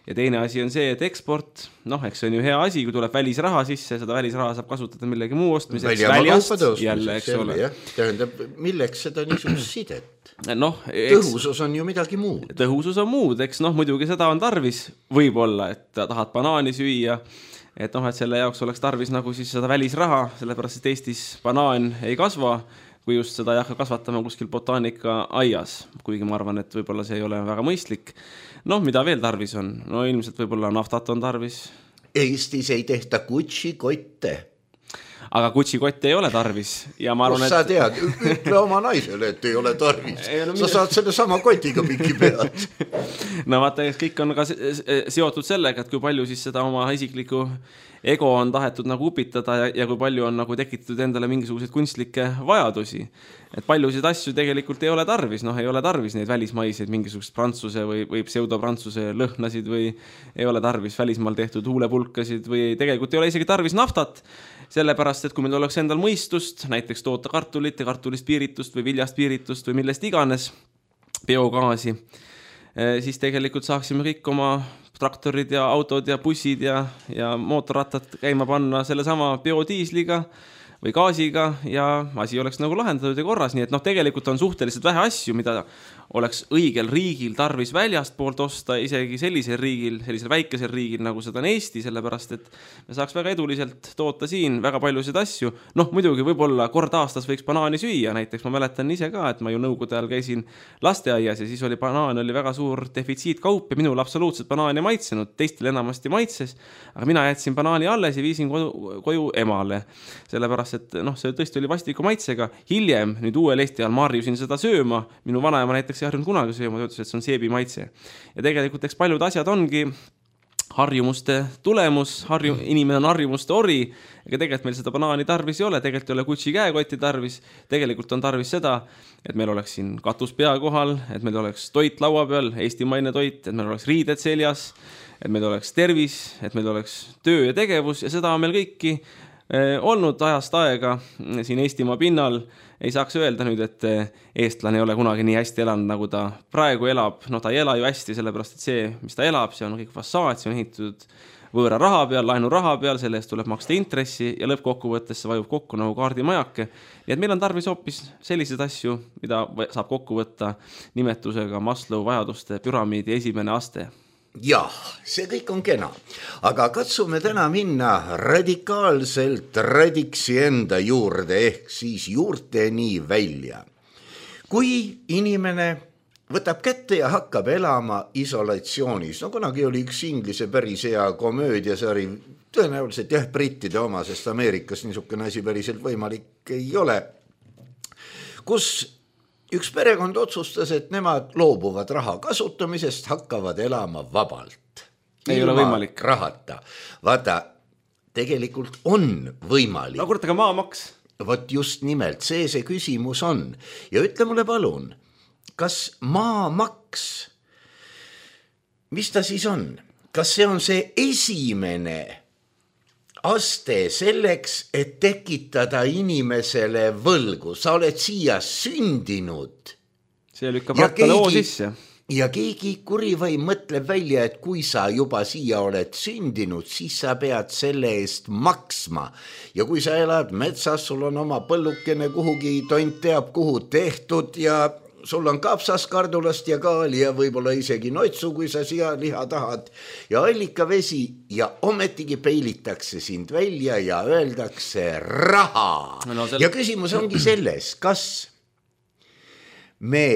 Ja teine asi on see, et eksport, noh, eks see on ju hea asi, kui tuleb välisraha sisse, seda välisraha saab kasutada millegi muu ostmiseks väljast jälle, eks ole. Tähendab, milleks seda niisugust sidet? No, eks, tõhusus on ju midagi muud. Tõhusus on muud, eks noh, muidugi seda on tarvis võib-olla, et tahad banaani süüa, et noh, et selle jaoks oleks tarvis nagu siis seda välisraha, sellepärast, et Eestis banaan ei kasva, kui just seda ei hakka kasvatama kuskil botaanika aias, kuigi ma arvan, et võib-olla see ei ole väga mõistlik. Noh, mida veel tarvis on? No ilmselt võib-olla naftat on tarvis. Eestis ei tehta Gucci-kotte. Aga Gucci-kotte ei ole tarvis. Ja ma arvan, kus sa tead? Ütle oma naisele, et ei ole tarvis. Ei, no, sa mida... saad selle sama kotiga mingi pead. No vaata, kõik on ka seotud sellega, et kui palju siis seda oma isiklikku ego on tahetud nagu upitada ja, ja kui palju on nagu tekitatud endale mingisuguseid kunstlikke vajadusi. Et paljusid asju tegelikult ei ole tarvis, noh ei ole tarvis neid välismaiseid mingisugust prantsuse või, või pseudoprantsuse lõhnasid või ei ole tarvis välismaal tehtud huulepulkasid või tegelikult ei ole isegi tarvis naftat, sellepärast, et kui meil oleks endal mõistust, näiteks toota kartulit ja kartulist piiritust või viljast piiritust või millest iganes biogaasi, siis tegelikult saaksime kõik oma traktorid ja autod ja bussid ja, ja mootorrattad käima panna selle sama biodiisliga või gaasiga ja asi oleks nagu lahendatud ja korras, nii et noh, tegelikult on suhteliselt vähe asju, mida oleks õigel riigil tarvis väljast poolt osta, isegi sellisel riigil, sellisel väikesel riigil, nagu seda on Eesti, sellepärast, et me saaks väga eduliselt toota siin väga paljusid asju. Noh, muidugi võib-olla kord aastas võiks banaani süüa, näiteks ma mäletan ise ka, et ma ju nõukogude ajal käisin lasteaias ja siis oli banaan oli väga suur defitsiitkaup ja minul absoluutselt banaani maitsenud, teistel enamasti maitses, aga mina jätsin banaani alles ja viisin koju, koju emale, sellepärast, et noh, see tõesti oli vastiku maitsega. Hiljem, nüüd uuel Eesti ajal ma harjusin seda sööma, minu vanaema näiteks ei harjunud kunagi sööma, ta ütles, et see on seebi maitse. Ja tegelikult eks paljud asjad ongi harjumuste tulemus, harju, inimene on harjumuste ori, ega tegelikult meil seda banaani tarvis ei ole, tegelikult ei ole Gucci käekotti tarvis, tegelikult on tarvis seda, et meil oleks siin katus pea kohal, et meil oleks toit laua peal, eestimaine toit, et meil oleks riided seljas, et meil oleks tervis, et meil oleks töö ja tegevus ja seda on meil kõiki olnud ajast aega siin Eestimaa pinnal. Ei saaks öelda nüüd, et eestlane ei ole kunagi nii hästi elanud, nagu ta praegu elab. No ta ei ela ju hästi, sellepärast, et see, mis ta elab, see on kõik fassaad, see on ehitatud võõra raha peal, laenu raha peal, selle eest tuleb maksta intressi ja lõppkokkuvõttes see vajub kokku nagu kaardimajake. Nii et meil on tarvis hoopis selliseid asju, mida saab kokku võtta nimetusega Maslow vajaduste püramiidi esimene aste. Jah, see kõik on kena, aga katsume täna minna radikaalselt radiksi enda juurde ehk siis juurteni välja. Kui inimene võtab kätte ja hakkab elama isolatsioonis. No kunagi oli üks inglise päris hea komöödiasari, tõenäoliselt jah, brittide oma, sest Ameerikas niisugune asi päriselt võimalik ei ole, kus üks perekond otsustas, et nemad loobuvad raha kasutamisest, hakkavad elama vabalt. Ei ole võimalik. Rahata. Vaata, tegelikult on võimalik. No kurat, aga maamaks? Vot just nimelt, see see küsimus on. Ja ütle mulle palun, kas maamaks, mis ta siis on? Kas see on see esimene aste selleks, et tekitada inimesele võlgu? Sa oled siia sündinud. See lükkab rattale oo sisse. Ja keegi kurivaim mõtleb välja, et kui sa juba siia oled sündinud, siis sa pead selle eest maksma. Ja kui sa elad metsas, sul on oma põllukene kuhugi, tont teab kuhu tehtud ja sul on kapsaskardulast ja kaali ja võib-olla isegi noitsu, kui sa siia liha tahad ja allikavesi ja ometigi peilitakse sind välja ja öeldakse raha. No, sel... Ja küsimus ongi selles, kas me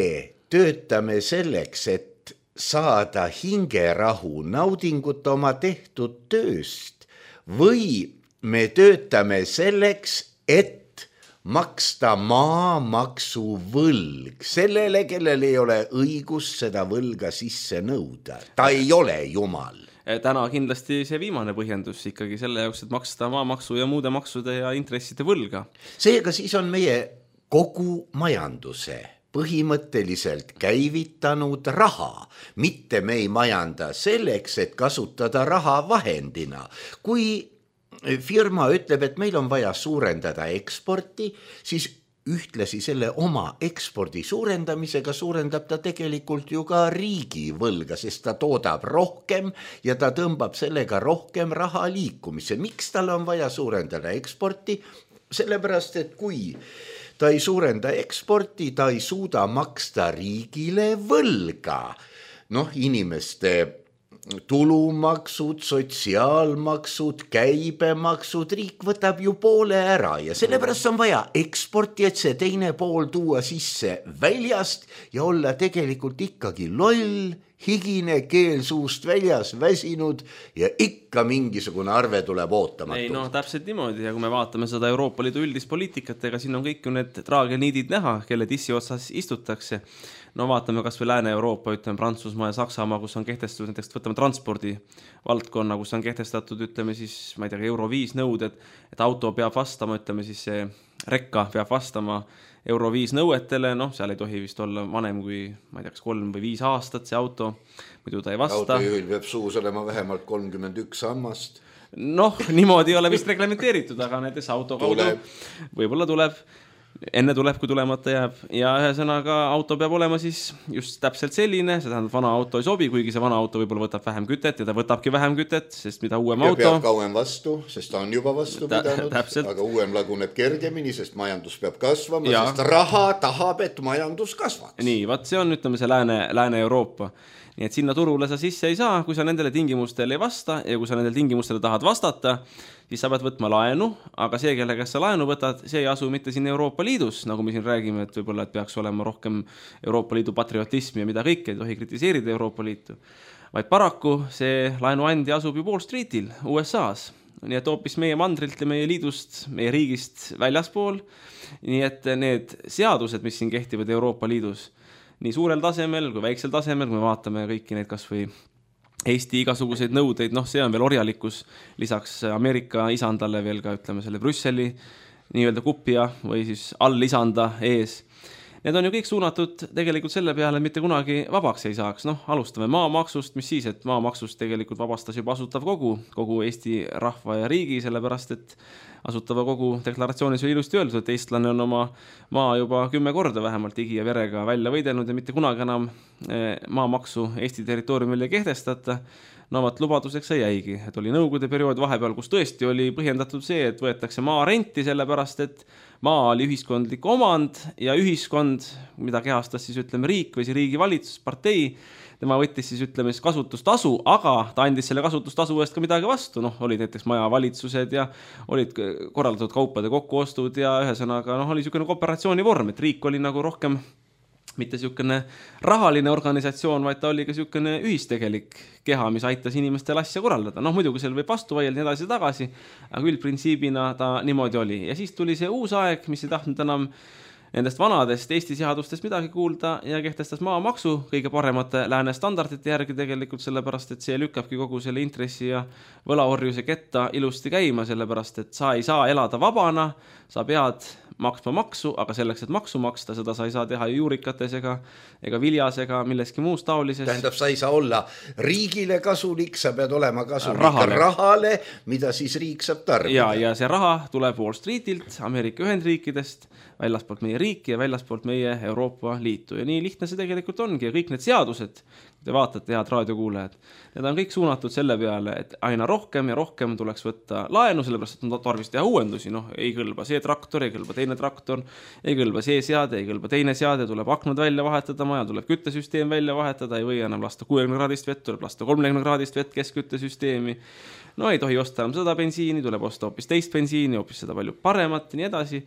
töötame selleks, et saada hingerahu, naudingut oma tehtud tööst või me töötame selleks, et maksta maamaksu võlg sellele, kellel ei ole õigus seda võlga sisse nõuda. Ta ei ole jumal. Täna kindlasti see viimane põhjendus ikkagi selle jaoks, et maksta maamaksu ja muude maksude ja intresside võlga. Seega siis on meie kogu majanduse põhimõtteliselt käivitanud raha. Mitte me ei majanda selleks, et kasutada raha vahendina. Kui firma ütleb, et meil on vaja suurendada eksporti, siis ühtlasi selle oma ekspordi suurendamisega suurendab ta tegelikult ju ka riigi võlga, sest ta toodab rohkem ja ta tõmbab sellega rohkem raha liikumise. Miks tal on vaja suurendada eksporti? Sellepärast, et kui ta ei suurenda eksporti, ta ei suuda maksta riigile võlga. Noh, inimeste tulumaksud, sotsiaalmaksud, käibemaksud, riik võtab ju poole ära ja sellepärast on vaja eksporti, et see teine pool tuua sisse väljast ja olla tegelikult ikkagi loll, higine, keel suust väljas, väsinud ja ikka mingisugune arve tuleb ootamatult. Ei, no täpselt niimoodi ja kui me vaatame seda Euroopa Liidu üldist poliitikat, ega siin on kõik ju need traageniidid näha, kelle tissi otsas istutakse. No vaatame kas või Lääne-Euroopa, ütleme Prantsusmaa ja Saksamaa, kus on kehtestatud näiteks võtame transpordi valdkonna, kus on kehtestatud, ütleme siis, ma ei tea, euro viis nõuded, et auto peab vastama, ütleme siis see rekka peab vastama euro viis nõuetele, noh, seal ei tohi vist olla vanem kui, ma ei tea, kas kolm või viis aastat see auto, muidu ta ei vasta. Autojuhil peab suus olema vähemalt kolmkümmend üks sammast. Noh, niimoodi ei ole vist reglementeeritud, aga näiteks auto kaudu võib-olla tuleb. Enne tuleb, kui tulemata jääb ja ühesõnaga auto peab olema siis just täpselt selline, see tähendab vana auto ei sobi, kuigi see vana auto võib-olla võtab vähem kütet ja ta võtabki vähem kütet, sest mida uuem ja auto. Peab kauem vastu, sest ta on juba vastu Ta, pidanud, täpselt. aga uuem laguneb kergemini, sest majandus peab kasvama, ja. Sest raha tahab, et majandus kasvaks. Nii, vaat see on, ütleme see Lääne, Lääne-Euroopa. Nii et sinna turule sa sisse ei saa, kui sa nendele tingimustele ei vasta ja kui sa nendele tingimustele tahad vastata, siis sa pead võtma laenu, aga see, kelle kes sa laenu võtad, see ei asu mitte siin Euroopa Liidus, nagu me siin räägime, et võib-olla et peaks olema rohkem Euroopa Liidu patriotismi ja mida kõik, ei tohi kritiseerida Euroopa Liitu, vaid paraku see laenuandja asub ju Wall Streetil U S A-s, nii et hoopis meie mandrilt ja meie liidust, meie riigist väljaspool, nii et need seadused, mis siin kehtivad Euroopa Liidus, nii suurel tasemel kui väiksel tasemel, kui me vaatame kõiki neid kas või Eesti igasuguseid nõudeid, noh, see on veel orjalikkus, lisaks Ameerika isandale veel ka, ütleme, selle Brüsseli nii-öelda kupja või siis all-isanda ees. Need on ju kõik suunatud tegelikult selle peale, et mitte kunagi vabaks ei saaks. Noh, alustame maamaksust, mis siis, et maamaksust tegelikult vabastas juba asutav kogu, kogu Eesti rahva ja riigi, sellepärast, et asutava kogu deklaratsioonis oli ilusti öeldud, et eestlane on oma maa juba kümme korda vähemalt igi ja verega välja võidelnud ja mitte kunagi enam maamaksu Eesti territooriumil ei kehtestata. No vaat lubaduseks see jäigi, et oli nõukogude periood vahepeal, kus tõesti oli põhjendatud see, et võetakse maa renti, sellepärast et maa oli ühiskondlik omand ja ühiskond, mida kehastas siis ütleme riik või see riigi valitsus, partei, tema võttis siis ütleme kasutustasu, aga ta andis selle kasutustasu eest ka midagi vastu, noh, olid näiteks majavalitsused ja olid korraldatud kaupade kokkuostud ja ühesõnaga, noh, oli niisugune kooperatsiooni vorm, et riik oli nagu rohkem mitte niisugune rahaline organisatsioon, vaid ta oli ka niisugune ühistegelik keha, mis aitas inimestel asja korraldada. Noh, muidugi seal võib vastu vaielda nii edasi tagasi, aga üldprintsiibina ta niimoodi oli. Ja siis tuli see uus aeg, mis ei tahtnud enam nendest vanadest Eesti seadustest midagi kuulda ja kehtestas maamaksu kõige paremate lääne standardite järgi tegelikult, sellepärast et see lükkabki kogu selle intressi ja võlaorjuse ketta ilusti käima, sellepärast et sa ei saa elada vabana, sa pead maksma maksu, aga selleks, et maksu maksta, seda sa ei saa teha juurikates ega, ega viljas ega milleski muus taolises. Tähendab, sa ei saa olla riigile kasulik, sa pead olema kasulik rahale, rahale mida siis riik saab tarbida. Ja, ja see raha tuleb Wall Streetilt, Ameerika Ühendriikidest, väljaspoolt meie riiki ja väljaspoolt meie Euroopa Liitu. Ja nii lihtne see tegelikult ongi ja kõik need seadused, te vaatate, head raadiokuulajad, need on kõik suunatud selle peale, et aina rohkem ja rohkem tuleks võtta laenu, sellepärast, et on tarvis teha uuendusi. Noh, ei kõlba see traktor, ei kõlba teine traktor, ei kõlba see seade, ei kõlba teine seade, tuleb aknud välja vahetada, maja tuleb küttesüsteem välja vahetada, ei või enam lasta kuuekümne kraadist vett, tuleb lasta kolmekümne kraadist vett keskküttesüsteemi. No ei tohi osta enam seda bensiini, tuleb osta hoopis teist bensiini, hoopis seda palju paremat ja nii edasi.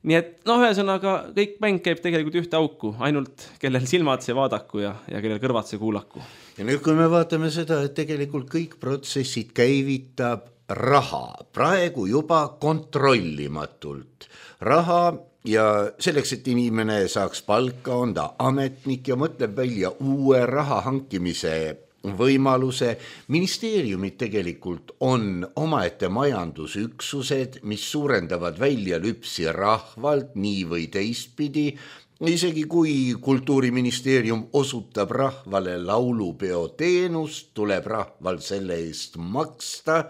Nii et noh, ühesõnaga kõik mäng käib tegelikult ühte auku, ainult kellel silmad see vaadaku ja, ja kellel kõrvad see kuulaku. Ja nüüd, kui me vaatame seda, et tegelikult kõik protsessid käivitab raha, praegu juba kontrollimatult raha ja selleks, et inimene saaks palka, on ta ametnik ja mõtleb välja uue raha hankimise võimaluse. Ministeeriumid tegelikult on omaette majandusüksused, mis suurendavad välja lüpsi rahvalt nii või teistpidi. Isegi kui Kultuuriministeerium osutab rahvale laulupeo teenust, tuleb rahval selle eest maksta,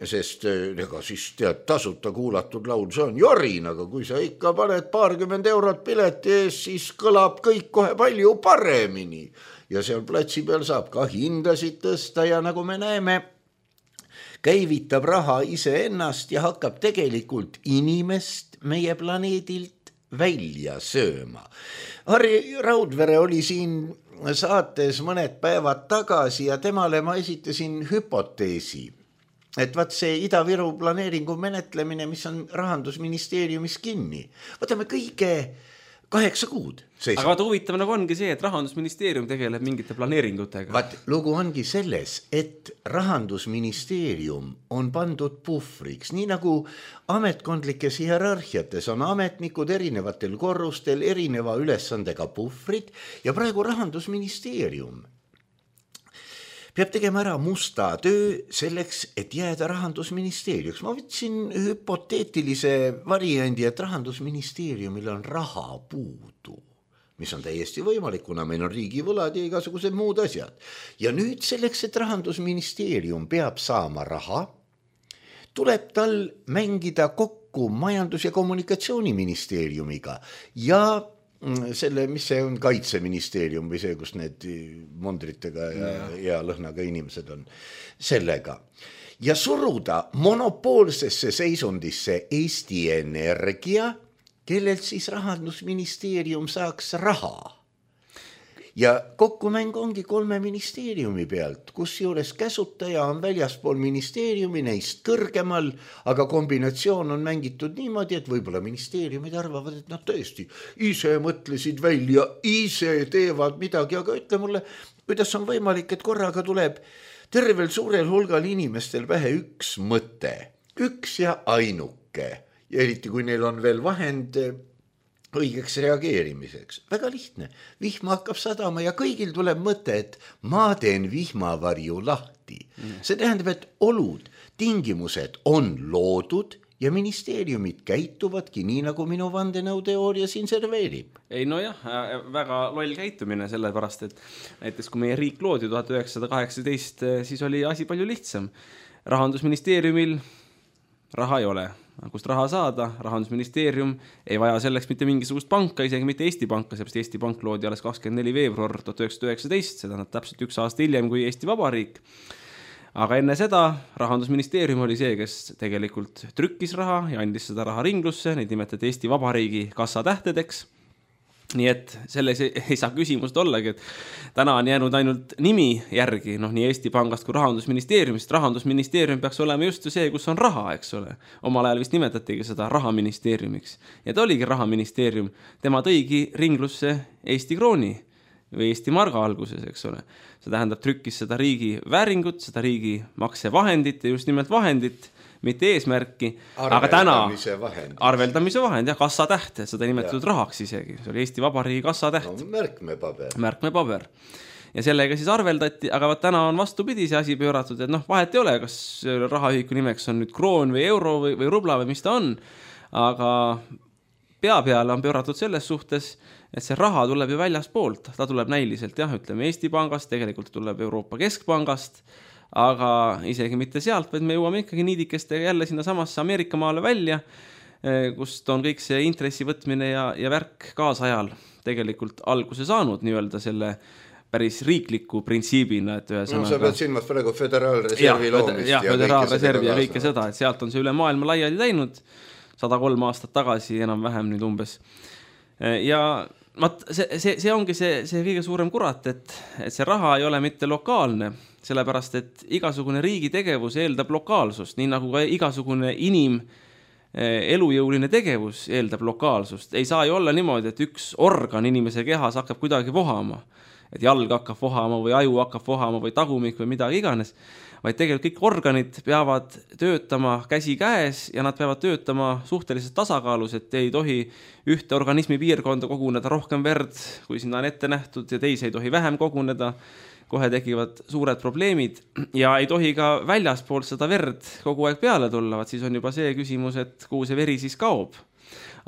sest ega siis tead, tasuta kuulatud laul, see on jorin, aga kui sa ikka paned paarkümmend eurot pileti ees, siis kõlab kõik kohe palju paremini. Ja seal platsi peal saab ka hindasid tõsta ja nagu me näeme, käivitab raha iseennast ja hakkab tegelikult inimest meie planeedilt välja sööma. Harri Raudvere oli siin saates mõned päevad tagasi ja temale ma esitasin hüpoteesi, et vaat see Ida-Viru planeeringu menetlemine, mis on Rahandusministeeriumis kinni, võtame kõige kaheksa kuud. Seisab. Aga vaata huvitav nagu ongi see, et Rahandusministeerium tegeleb mingite planeeringutega. Vaat lugu ongi selles, et Rahandusministeerium on pandud puhvriks, nii nagu ametkondlikes hierarhiates on ametnikud erinevatel korrustel erineva ülesandega puhvrid ja praegu Rahandusministeerium peab tegema ära musta töö selleks, et jääda Rahandusministeeriumiks. Ma võtsin hüpoteetilise variandi, et Rahandusministeeriumil on raha puudu, mis on täiesti võimalik, kuna meil on riigivõlad ja igasugused muud asjad. Ja nüüd selleks, et Rahandusministeerium peab saama raha, tuleb tal mängida kokku Majandus- ja Kommunikatsiooniministeeriumiga ja selle, mis see on, Kaitseministeerium või see, kus need mondritega ja, ja. ja lõhnaga inimesed on sellega. Ja suruda monopoolsesse seisundisse Eesti Energia, kellelt siis Rahandusministeerium saaks raha. Ja kokkumäng ongi kolme ministeeriumi pealt, kus juures käsutaja on väljaspool ministeeriumi neist kõrgemal, aga kombinatsioon on mängitud niimoodi, et võib-olla ministeeriumid arvavad, et nad tõesti ise mõtlesid välja, ise teevad midagi, aga ütle mulle, kuidas on võimalik, et korraga tuleb tervel suurel hulgal inimestel pähe üks mõte, üks ja ainuke, ja eriti kui neil on veel vahend õigeks reageerimiseks. Väga lihtne. Vihma hakkab sadama ja kõigil tuleb mõte, et ma teen vihmavarju lahti. Mm. See tähendab, et olud, tingimused on loodud ja ministeeriumid käituvadki nii, nagu minu vandenõuteooria siin serveerib. Ei no jah, väga loll käitumine sellepärast, et näiteks kui meie riik loodi tuhat üheksasada kaheksateist, siis oli asi palju lihtsam. Rahandusministeeriumil raha ei ole. Kust raha saada, Rahandusministeerium ei vaja selleks mitte mingisugust panka, isegi mitte Eesti panka, seepärast Eesti pank loodi alles kakskümmend neli veebruar tuhat üheksasada üheksateist, seda on täpselt üks aasta hiljem kui Eesti Vabariik. Aga enne seda Rahandusministeerium oli see, kes tegelikult trükkis raha ja andis seda raha ringlusse, neid nimetati Eesti Vabariigi kassatähtedeks. nii et selles ei saa küsimust ollagi, et täna on jäänud ainult nimi järgi, noh, nii Eesti Pangast kui Rahandusministeeriumist. Rahandusministeerium peaks olema just see, kus on raha, eks ole. Omal ajal vist nimetatigi seda rahaministeeriumiks. Ja ta oligi rahaministeerium. Tema tõigi ringlusse Eesti krooni või Eesti marga alguses, eks ole. See tähendab trükkis seda riigi vääringut, seda riigi maksevahendit ja just nimelt vahendit, mitte eesmärki, aga täna vahend. arveldamise vahend, jah, kassatähte, seda nimetatud ja. rahaks isegi, see oli Eesti Vabariigi kassatäht. No, märkmepaber. Märkmepaber. Ja sellega siis arveldati, aga täna on vastupidi see asi pööratud, et noh, vahet ei ole, kas rahaühiku nimeks on nüüd kroon või euro või, või rubla või mis ta on, aga pea peale on pööratud selles suhtes, et see raha tuleb ju väljaspoolt, ta tuleb näiliselt, jah, ütleme Eesti Pangast, tegelikult tuleb Euroopa Keskpangast, aga isegi mitte sealt, vaid me jõuame ikkagi niidikestega jälle sinna samasse Ameerika maale välja, kust on kõik see intressi võtmine ja, ja värk kaasajal tegelikult alguse saanud nii-öelda selle päris riikliku printsiibina, et ühe sõnaga... No sa pead silmas praegu föderaalreservi ja, loomist ja, ja föderaalreservi ja kõike seda, et sealt on see üle maailma laiali läinud sada kolm aastat tagasi enam-vähem nüüd umbes. Ja mat, see, see, see ongi see, see kõige suurem kurat, et, et see raha ei ole mitte lokaalne, sellepärast, et igasugune riigi tegevus eeldab lokaalsust, nii nagu ka igasugune inim elujõuline tegevus eeldab lokaalsust. Ei saa ju olla niimoodi, et üks organ inimese kehas hakkab kuidagi vohama, et jalg hakkab vohama või aju hakkab vohama või tagumik või midagi iganes, vaid tegelikult kõik organid peavad töötama käsi käes ja nad peavad töötama suhteliselt tasakaalus, et ei tohi ühte organismi piirkonda koguneda rohkem verd, kui sinna on ette nähtud ja teisi ei tohi vähem koguneda, kohe tekivad suured probleemid ja ei tohi ka väljaspoolt seda verd kogu aeg peale tulla, vaat siis on juba see küsimus, et kuhu see veri siis kaob.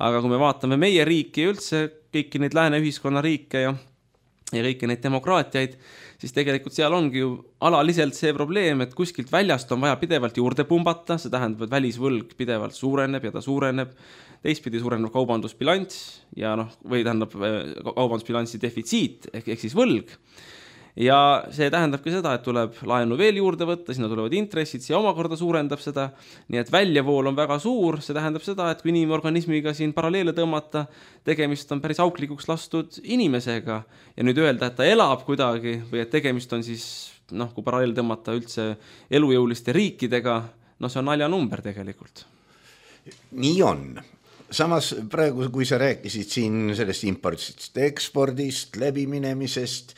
Aga kui me vaatame meie riiki ja üldse kõiki neid lääne ühiskonna riike ja, ja kõiki neid demokraatiaid, siis tegelikult seal ongi ju alaliselt see probleem, et kuskilt väljast on vaja pidevalt juurde pumbata, see tähendab, et välisvõlg pidevalt suureneb ja ta suureneb, teistpidi suureneb kaubandusbilanss ja noh, või tähendab kaubandusbilanssi defitsiit ehk, ehk siis võlg. Ja see tähendabki seda, et tuleb laenu veel juurde võtta, sinna tulevad intressid, see omakorda suurendab seda, nii et väljavool on väga suur, see tähendab seda, et kui inimorganismiga siin paralleele tõmmata, tegemist on päris auklikuks lastud inimesega ja nüüd öelda, et ta elab kuidagi või et tegemist on siis, noh, kui paralleele tõmmata üldse elujõuliste riikidega, no see on naljanumber tegelikult. Nii on. Samas praegu, kui sa rääkisid siin sellest impordist, ekspordist, läbiminemisest,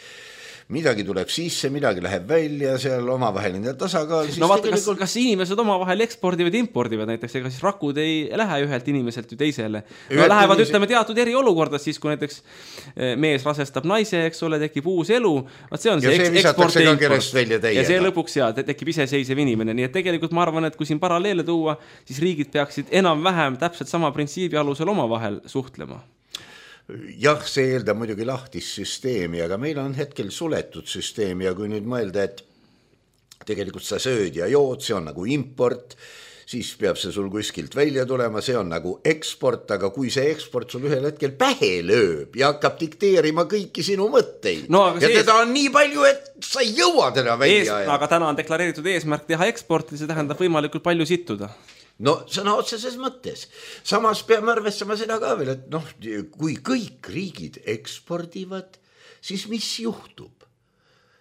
midagi tuleb sisse, midagi läheb välja, seal omavaheline tasakaal. No vaata, tegelikult... kas, kas inimesed omavahel ekspordivad, impordivad näiteks, ega siis rakud ei lähe ühelt inimeselt ju teisele. No lähevad, inimesed... ütleme, teatud eri olukorda, siis kui näiteks mees rasestab naise, eks ole, tekib uus elu, vaat see on see, see eksport ja import. Ja see lõpuks ja tekib iseseisev inimene. Nii et tegelikult ma arvan, et kui siin paralleele tuua, siis riigid peaksid enam-vähem täpselt sama printsiibi alusel omavahel suhtlema. Jah, see eeldab muidugi lahtist süsteemi, aga meil on hetkel suletud süsteemi ja kui nüüd mõelda, et tegelikult sa sööd ja jood, see on nagu import, siis peab see sul kuskilt välja tulema, see on nagu eksport, aga kui see eksport sul ühel hetkel pähe lööb ja hakkab dikteerima kõiki sinu mõtteid no, ja teda ees... on nii palju, et sa ei jõua teda välja ees... ja... Aga täna on deklareeritud eesmärk teha eksporti, see tähendab võimalikult palju sittuda. No sõna otseses mõttes. Samas peame arvestama seda ka veel, et noh, kui kõik riigid ekspordivad, siis mis juhtub?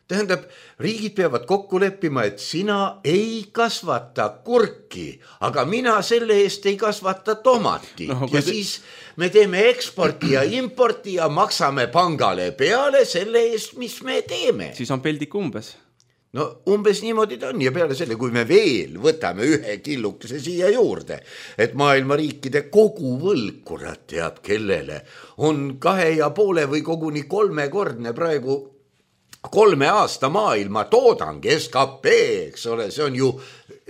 Tähendab, riigid peavad kokku leppima, et sina ei kasvata kurki, aga mina selle eest ei kasvata tomati. No, ja te... siis me teeme eksporti ja importi ja maksame pangale peale selle eest, mis me teeme. Siis on peldik umbes. No umbes niimoodi ta on ja peale selle, kui me veel võtame ühe killukese siia juurde, et maailma riikide kogu võlg, kurat teab kellele, on kahe ja poole või koguni kolmekordne praegu kolme aasta maailma toodang, S K P, eks ole, see on ju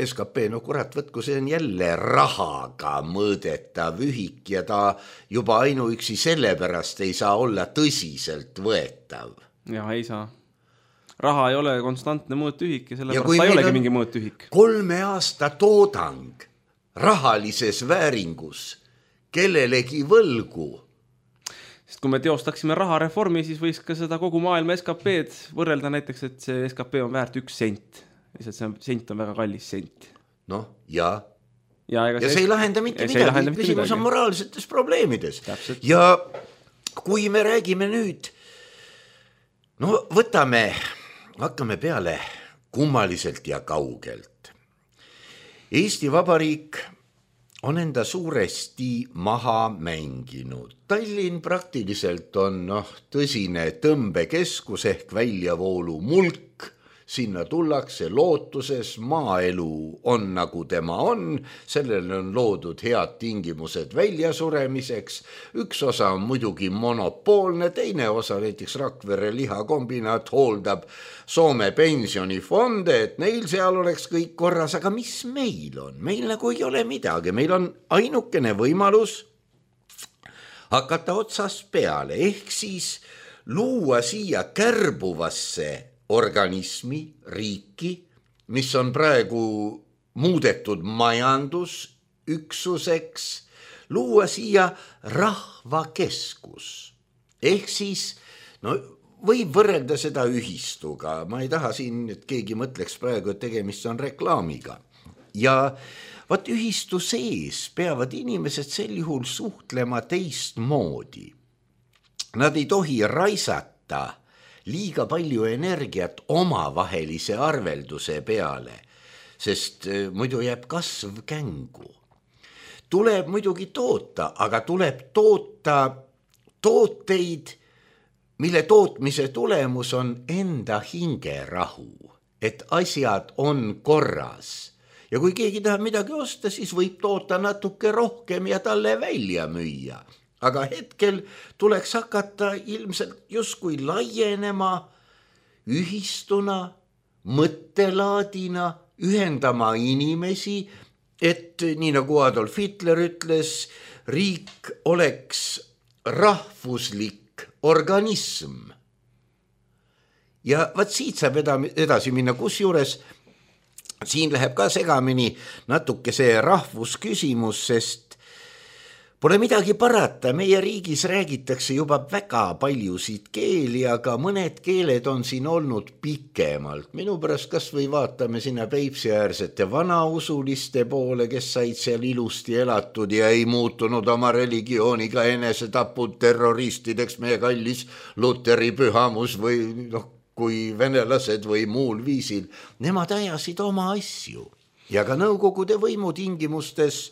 S K P, no kurat, võtku, see on jälle rahaga mõõdetav ühik ja ta juba ainuüksi sellepärast ei saa olla tõsiselt võetav. Ja ei saa. Raha ei ole konstantne mõõtühik ja sellepärast ta ei olegi mingi mõõtühik. Kolme aasta toodang rahalises vääringus kellelegi võlgu. Sest kui me teostaksime rahareformi, siis võiks ka seda kogu maailma S K P-d võrrelda näiteks, et see S K P on väärt üks sent. Lihtsalt see sent on väga kallis sent. Noh, ja. Ja, ja see ei lahenda mitte midagi. Küsimus on moraalsetes probleemides. Täpselt. Ja kui me räägime nüüd, no võtame, hakkame peale kummaliselt ja kaugelt. Eesti Vabariik on enda suuresti maha mänginud. Tallinn praktiliselt on noh, tõsine tõmbekeskus ehk väljavoolu mulk. Sinna tullakse lootuses, maaelu on nagu tema on, sellele on loodud head tingimused väljasuremiseks. Üks osa on muidugi monopoolne, teine osa näiteks Rakvere lihakombinaat hooldab Soome pensionifonde, et neil seal oleks kõik korras, aga mis meil on? Meil nagu ei ole midagi, meil on ainukene võimalus hakata otsast peale, ehk siis luua siia kärbuvasse organismi, riiki, mis on praegu muudetud majandusüksuseks, luua siia rahvakeskus. Ehk siis, no võib võrrelda seda ühistuga, ma ei taha siin, et keegi mõtleks praegu, et tegemist on reklaamiga. Ja vaat ühistu sees peavad inimesed sel juhul suhtlema teistmoodi. Nad ei tohi raisata liiga palju energiat omavahelise arvelduse peale, sest muidu jääb kasv kängu. Tuleb muidugi toota, aga tuleb toota tooteid, mille tootmise tulemus on enda hingerahu, et asjad on korras. Ja kui keegi tahab midagi osta, siis võib toota natuke rohkem ja talle välja müüa. Aga hetkel tuleks hakata ilmselt justkui laienema ühistuna, mõttelaadina, ühendama inimesi, et nii nagu Adolf Hitler ütles, riik oleks rahvuslik organism. Ja vaat siit saab edasi minna, kus juures siin läheb ka segamini natuke see rahvusküsimus, sest pole midagi parata, meie riigis räägitakse juba väga paljusid keeli, aga mõned keeled on siin olnud pikemalt. Minu pärast kas või vaatame sinna Peipsiäärsete vanausuliste poole, kes said seal ilusti elatud ja ei muutunud oma religiooniga enesetapud terroristideks, meie kallis Luteri pühamus või noh, kui venelased või muul viisil. Nemad ajasid oma asju ja ka Nõukogude võimu tingimustes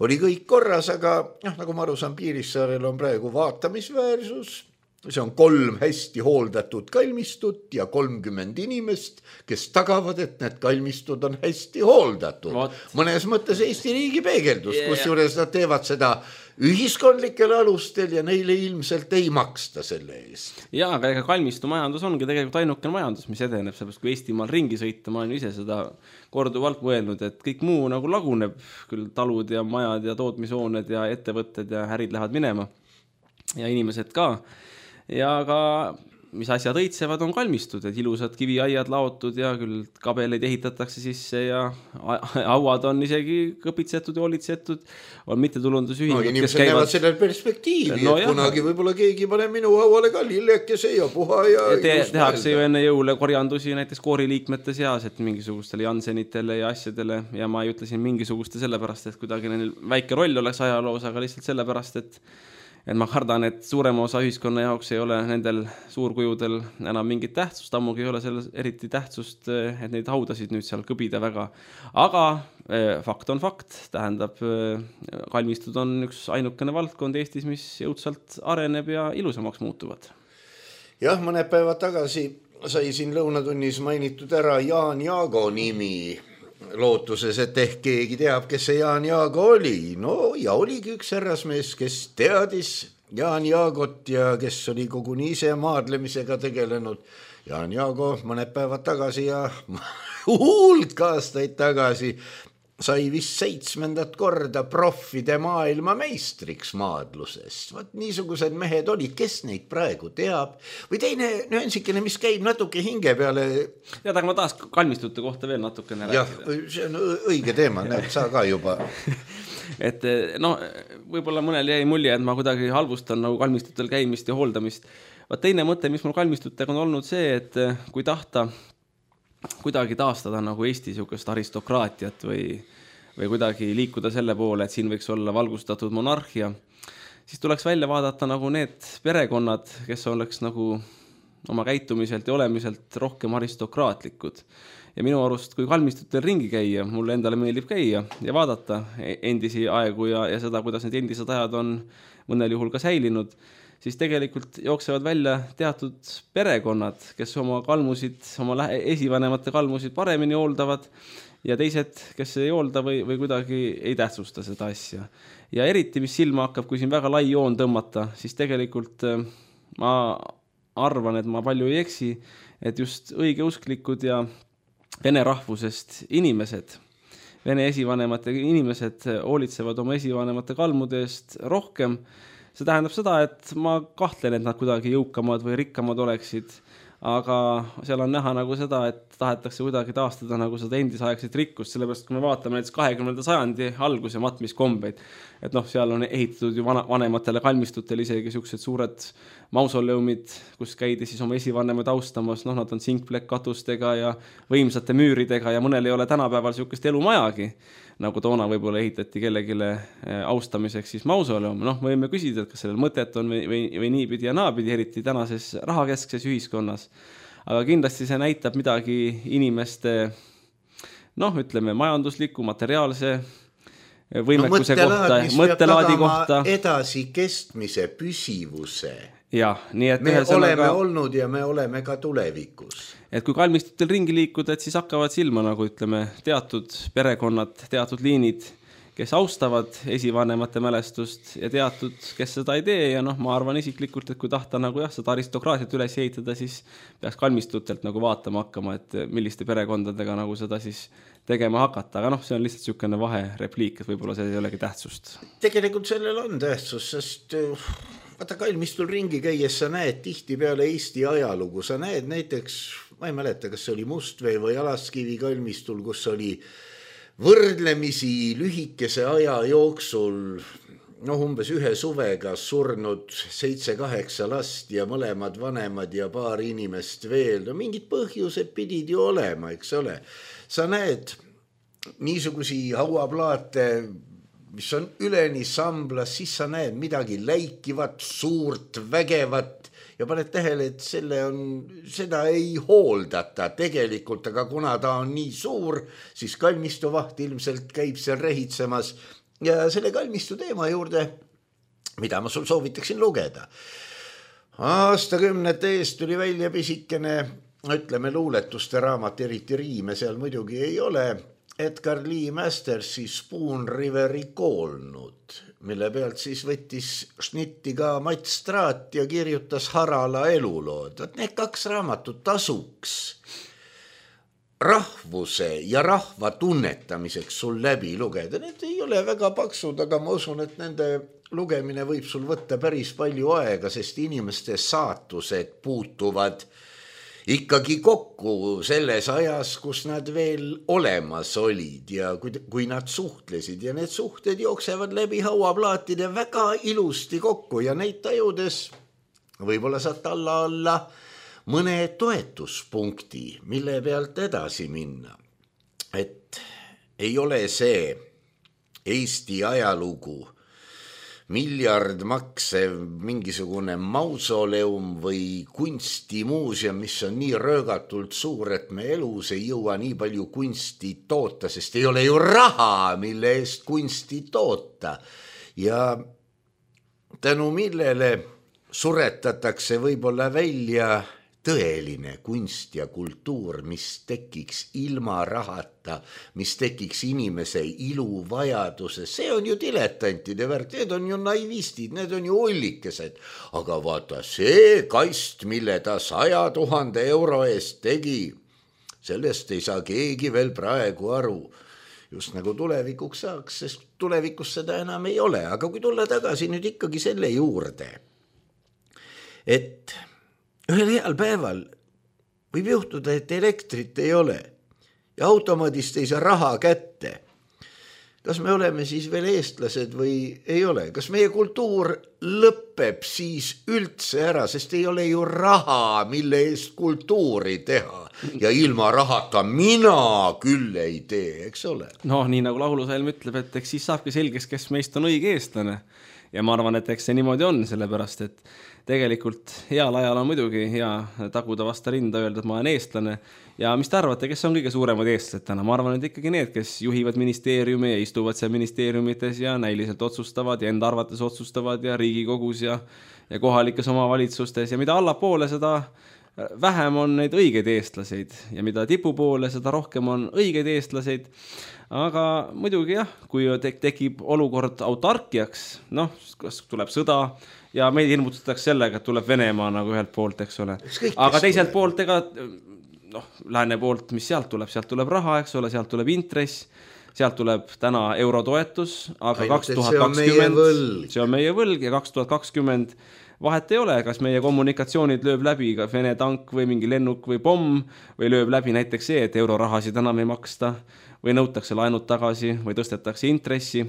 oli kõik korras, aga noh, nagu ma aru saan, Piirissaarel on praegu vaatamisväärsus. See on kolm hästi hooldatud kalmistut ja kolmkümmend inimest, kes tagavad, et need kalmistud on hästi hooldatud. What? Mõnes mõttes Eesti riigi peegeldus, yeah. Kus juures nad teevad seda ühiskondlikel alustel ja neile ilmselt ei maksta selle eest. Jaa, aga ega kalmistu majandus ongi tegelikult ainukene majandus, mis edeneb, sellepärast kui Eestimaal ringi sõita, ma olen ise seda korduvalt mõelnud, et kõik muu nagu laguneb, küll talud ja majad ja tootmishooned ja ettevõtted ja ärid lähevad minema ja inimesed ka. Ja ka mis asjad õitsevad on kalmistud, et ilusad kiviaiad laotud ja küll kabeleid ehitatakse sisse ja hauad on isegi kõpitsetud ja olitsetud, on mittetulundusühingud. No inimesed käivad... näevad sellel perspektiivi, no, et kunagi võib-olla keegi pane minu hauale ka lillekese ja puha ja... ja te, tehakse ju enne jõule korjandusi näiteks kooriliikmete seas, et mingisugustele Jansenitele ja asjadele ja ma ei ütle siin mingisuguste sellepärast, et kuidagi neil väike roll oleks ajaloos, aga lihtsalt sellepärast, et et ma kardan, et suurema osa ühiskonna jaoks ei ole nendel suurkujudel enam mingit tähtsust, ammugi ei ole selles eriti tähtsust, et neid haudasid nüüd seal kõbida väga. Aga fakt on fakt, tähendab, kalmistud on üks ainukene valdkond Eestis, mis jõudsalt areneb ja ilusamaks muutuvad. Jah, mõned päevad tagasi sai siin lõunatunnis mainitud ära Jaan Jaago nimi, lootuses, et ehk keegi teab, kes see Jaan Jaago oli. No ja oligi üks härrasmees, kes teadis Jaan Jaagot ja kes oli koguni ise maadlemisega tegelenud. Jaan Jaago mõned päevad tagasi ja hulk aastaid tagasi sai vist seitsmendat korda proffide maailma meistriks maadlusest. Vaat niisugused mehed olid, kes neid praegu teab. Või teine nüansikene, mis käib natuke hinge peale. Ja aga ma tahaks kalmistute kohta veel natukene rääkida. Jah, see on õige teema, näed, sa ka juba. Et no, võib-olla mõnel jäi mulje, et ma kuidagi halvustan nagu kalmistutel käimist ja hooldamist. Vaat teine mõte, mis mul kalmistutega on olnud see, et kui tahta kuidagi taastada nagu Eesti sihukest aristokraatiat või, või kuidagi liikuda selle poole, et siin võiks olla valgustatud monarhia, siis tuleks välja vaadata nagu need perekonnad, kes oleks nagu oma käitumiselt ja olemiselt rohkem aristokraatlikud. Ja minu arust, kui kalmistutel ringi käia, mulle endale meeldib käia ja vaadata endisi aegu ja, ja seda, kuidas need endised ajad on mõnel juhul ka säilinud, siis tegelikult jooksevad välja teatud perekonnad, kes oma kalmusid, oma esivanemate kalmusid paremini hooldavad ja teised, kes ei hoolda või, või kuidagi ei tähtsusta seda asja. Ja eriti, mis silma hakkab, kui siin väga lai joon tõmmata, siis tegelikult ma arvan, et ma palju ei eksi, et just õigeusklikud ja vene rahvusest inimesed, vene esivanemate inimesed hoolitsevad oma esivanemate kalmude eest rohkem. See tähendab seda, et ma kahtlen, et nad kuidagi jõukamad või rikkamad oleksid, aga seal on näha nagu seda, et tahetakse kuidagi taastada nagu seda endisaegset rikkust, sellepärast kui me vaatame näiteks kahekümnenda sajandi alguse matmiskombeid, et noh, seal on ehitatud ju vanematele kalmistutele isegi sellised suured mausoleumid, kus käidi siis oma esivanemaid austamas, noh, nad on sinkplekk katustega ja võimsate müüridega ja mõnel ei ole tänapäeval sellist elumajagi, nagu toona võib-olla ehitati kellegile austamiseks siis mausoleum. Noh, me võime küsida, et kas sellel mõtet on või, või, või niipidi ja naapidi, eriti tänases rahakeskses ühiskonnas. Aga kindlasti see näitab midagi inimeste, noh, ütleme, majandusliku, materiaalse võimekuse no, kohta, mõttelaadi kohta. Edasi kestmise, püsivuse. Ja, nii et me oleme ka... olnud ja me oleme ka tulevikus. Et kui kalmistutel ringi liikuda, et siis hakkavad silma, nagu ütleme, teatud perekonnad, teatud liinid, kes austavad esivanemate mälestust ja teatud, kes seda ei tee. Ja noh, ma arvan isiklikult, et kui tahta nagu jah, seda aristokraatiat üles ehitada, siis peaks kalmistutelt nagu vaatama hakkama, et milliste perekondadega nagu seda siis tegema hakata. Aga noh, see on lihtsalt niisugune vaherepliik, et võib-olla see ei olegi tähtsust. Tegelikult sellel on tähtsus, sest vaata kalmistul ringi käies sa näed tihti peale Eesti ajalugu. Sa näed näiteks, ma ei mäleta, kas see oli Mustvee või Alaskivi kalmistul, kus oli võrdlemisi lühikese aja jooksul noh, umbes ühe suvega surnud seitse-kaheksa last ja mõlemad vanemad ja paar inimest veel. No mingid põhjused pidid ju olema, eks ole. Sa näed niisugusi hauaplaate, mis on üleni samblas, siis sa näed midagi läikivat, suurt, vägevat ja paned tähele, et selle on, seda ei hooldata tegelikult, aga kuna ta on nii suur, siis kalmistuvaht ilmselt käib seal rehitsemas ja selle kalmistu teema juurde, mida ma sul soovitaksin lugeda. Aastakümnete eest tuli välja pisikene, ütleme luuletuste raamat, eriti riime seal muidugi ei ole, Edgar Lee Mastersi Spoon Riveri koolnud, mille pealt siis võttis šnitti ka Mats Straat ja kirjutas Harala elulood. Need kaks raamatut tasuks rahvuse ja rahva tunnetamiseks sul läbi lugeda. Need ei ole väga paksud, aga ma usun, et nende lugemine võib sul võtta päris palju aega, sest inimeste saatused puutuvad ikkagi kokku selles ajas, kus nad veel olemas olid ja kui, kui nad suhtlesid ja need suhted jooksevad läbi hauaplaatide väga ilusti kokku ja neid tajudes võib-olla saad alla alla mõne toetuspunkti, mille pealt edasi minna. Et ei ole see Eesti ajalugu miljard maksev mingisugune mausoleum või kunstimuuseum, mis on nii röögatult suur, et me elus ei jõua nii palju kunsti toota, sest ei ole ju raha, mille eest kunsti toota. Ja tänu millele suretatakse võib-olla välja tõeline kunst ja kultuur, mis tekiks ilma rahata, mis tekiks inimese ilu vajaduse. See on ju diletantide värk, need on ju naivistid, need on ju ullikesed. Aga vaata, see kast, mille ta saja tuhande euro eest tegi, sellest ei saa keegi veel praegu aru. Just nagu tulevikuks saaks, sest tulevikus seda enam ei ole. Aga kui tulla tagasi nüüd ikkagi selle juurde, et ühel heal päeval võib juhtuda, et elektrit ei ole ja automaadist ei saa raha kätte. Kas me oleme siis veel eestlased või ei ole? Kas meie kultuur lõpeb siis üldse ära, sest ei ole ju raha, mille eest kultuuri teha ja ilma rahata mina küll ei tee, eks ole? No nii nagu laulusalm ütleb, et eks siis saabki selgeks, kes meist on õige eestlane. ja ma arvan, et eks see niimoodi on, sellepärast, et tegelikult heal ajal on muidugi hea taguda vasta rinda, öelda, et ma olen eestlane. Ja mis te arvate, kes on kõige suuremad eestlased täna? Ma arvan, et ikkagi need, kes juhivad ministeeriumi ja istuvad seal ministeeriumites ja näiliselt otsustavad ja enda arvates otsustavad ja Riigikogus ja, ja kohalikes omavalitsustes. Ja mida allapoole, seda vähem on neid õigeid eestlaseid ja mida tipupoole, seda rohkem on õigeid eestlaseid. Aga muidugi jah, kui tekib olukord autarkiaks, noh, kas tuleb sõda ja meid ilmutatakse sellega, et tuleb Venemaa nagu ühelt poolt, eks ole. Aga teiselt poolt, ega noh, lääne poolt, mis sealt tuleb, sealt tuleb raha, eks ole, sealt tuleb intress, sealt tuleb täna eurotoetus, aga Ainult, kaks tuhat kakskümmend see on meie võlg ja kaks tuhat kakskümmend vahet ei ole, kas meie kommunikatsioonid lööb läbi ka Vene tank või mingi lennuk või pomm või lööb läbi näiteks see, et eurorahasid enam ei maksta või nõutakse laenud tagasi või tõstetakse intressi,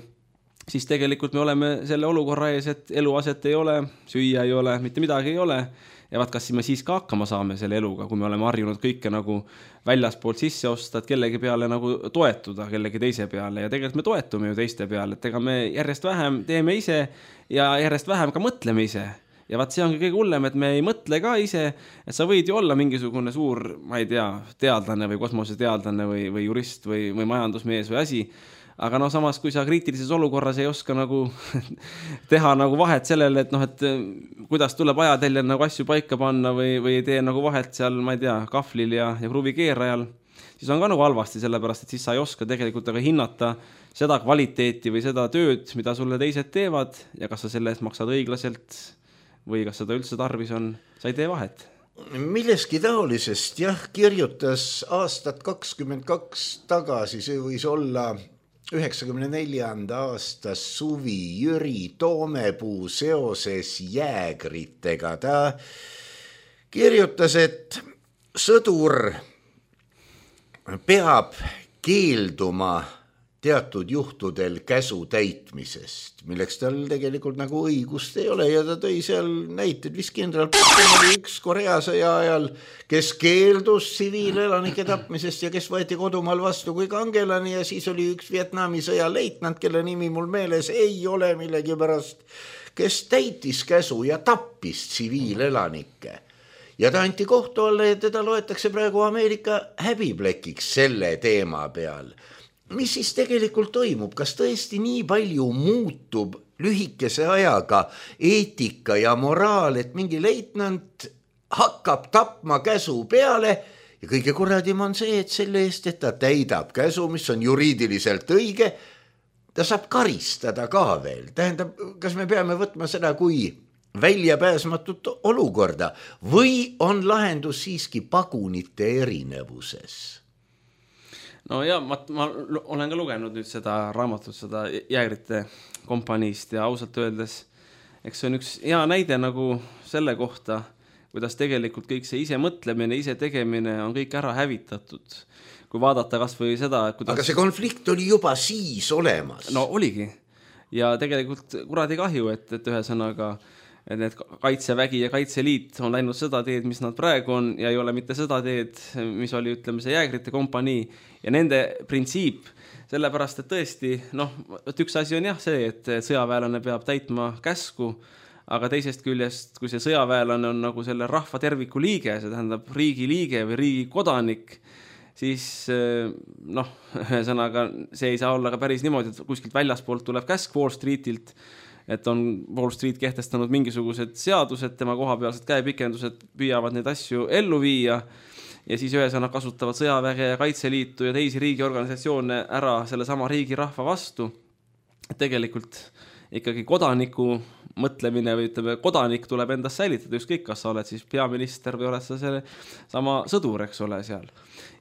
siis tegelikult me oleme selle olukorra ees, et eluaset ei ole, süüa ei ole, mitte midagi ei ole. Ja vaat, kas me siis ka hakkama saame selle eluga, kui me oleme harjunud kõike nagu väljaspoolt sisse osta, et kellegi peale nagu toetuda, kellegi teise peale. Ja tegelikult me toetume ju teiste peale, et ega me järjest vähem teeme ise ja järjest vähem ka mõtleme ise. Ja vaat see ongi kõige hullem, et me ei mõtle ka ise, et sa võid ju olla mingisugune suur, ma ei tea, teadlane või kosmoseteadlane või, või jurist või, või majandusmees või asi. Aga no samas, kui sa kriitilises olukorras ei oska nagu teha nagu vahet sellele, et noh, et kuidas tuleb ajateljel nagu asju paika panna või, või ei tee nagu vahet seal, ma ei tea, kahvlil ja, ja kruvikeerajal, siis on ka nagu halvasti, sellepärast, et siis sa ei oska tegelikult aga hinnata seda kvaliteeti või seda tööd, mida sulle teised teevad ja kas sa selle eest maksad õiglaselt või kas seda üldse tarvis on, sa ei tee vahet. Milleski taolisest, jah, kirjutas aastat kakskümmend kaks tagasi, see võis olla üheksakümne neljanda aasta suvi Jüri Toomepuu seoses jäägritega. Ta kirjutas, et sõdur peab keelduma teatud juhtudel käsu täitmisest, milleks tal tegelikult nagu õigust ei ole ja ta tõi seal näited, vist kindral Patton oli üks Korea sõja ajal, kes keeldus tsiviilelanike tapmisest ja kes võeti kodumaal vastu kui kangelane ja siis oli üks Vietnami sõja leitnant, kelle nimi mul meeles ei ole millegipärast, kes täitis käsu ja tappis tsiviilelanikke. Ja ta anti kohtu alla ja teda loetakse praegu Ameerika häbiplekiks selle teema peal. Mis siis tegelikult toimub? Kas tõesti nii palju muutub lühikese ajaga eetika ja moraal, et mingi leitnant hakkab tapma käsu peale ja kõige kurradim on see, et selle eest, et ta täidab käsu, mis on juriidiliselt õige, ta saab karistada ka veel. Tähendab, kas me peame võtma seda kui väljapääsmatut olukorda või on lahendus siiski pagunite erinevuses? No ja ma, ma olen ka lugenud nüüd seda raamatut, seda jäägrite kompaniist ja ausalt öeldes, eks see on üks hea näide nagu selle kohta, kuidas tegelikult kõik see ise mõtlemine, ise tegemine on kõik ära hävitatud. Kui vaadata kas või seda, kuidas... Aga see konflikt oli juba siis olemas. No oligi. Ja tegelikult kuradi kahju, et, et ühesõnaga et need kaitsevägi ja kaitseliit on läinud seda teed, mis nad praegu on ja ei ole mitte seda teed, mis oli, ütleme, see jäägrite kompanii ja nende printsiip, sellepärast, et tõesti, noh, et üks asi on jah see, et sõjaväelane peab täitma käsku, aga teisest küljest, kui see sõjaväelane on nagu selle rahva terviku liige, see tähendab riigi liige või riigi kodanik, siis noh, ühesõnaga see ei saa olla ka päris niimoodi, et kuskilt väljaspoolt tuleb käsk Wall Streetilt, et on Wall Street kehtestanud mingisugused seadused, tema kohapealsed käepikendused püüavad neid asju ellu viia ja siis ühesõnaga kasutavad sõjaväge ja kaitseliitu ja teisi riigiorganisatsioone ära selle sama riigi rahva vastu. Tegelikult ikkagi kodaniku mõtlemine või ütleme, kodanik tuleb endast säilitada, ükskõik kas sa oled siis peaminister või oled sa selle sama sõdur, eks ole seal.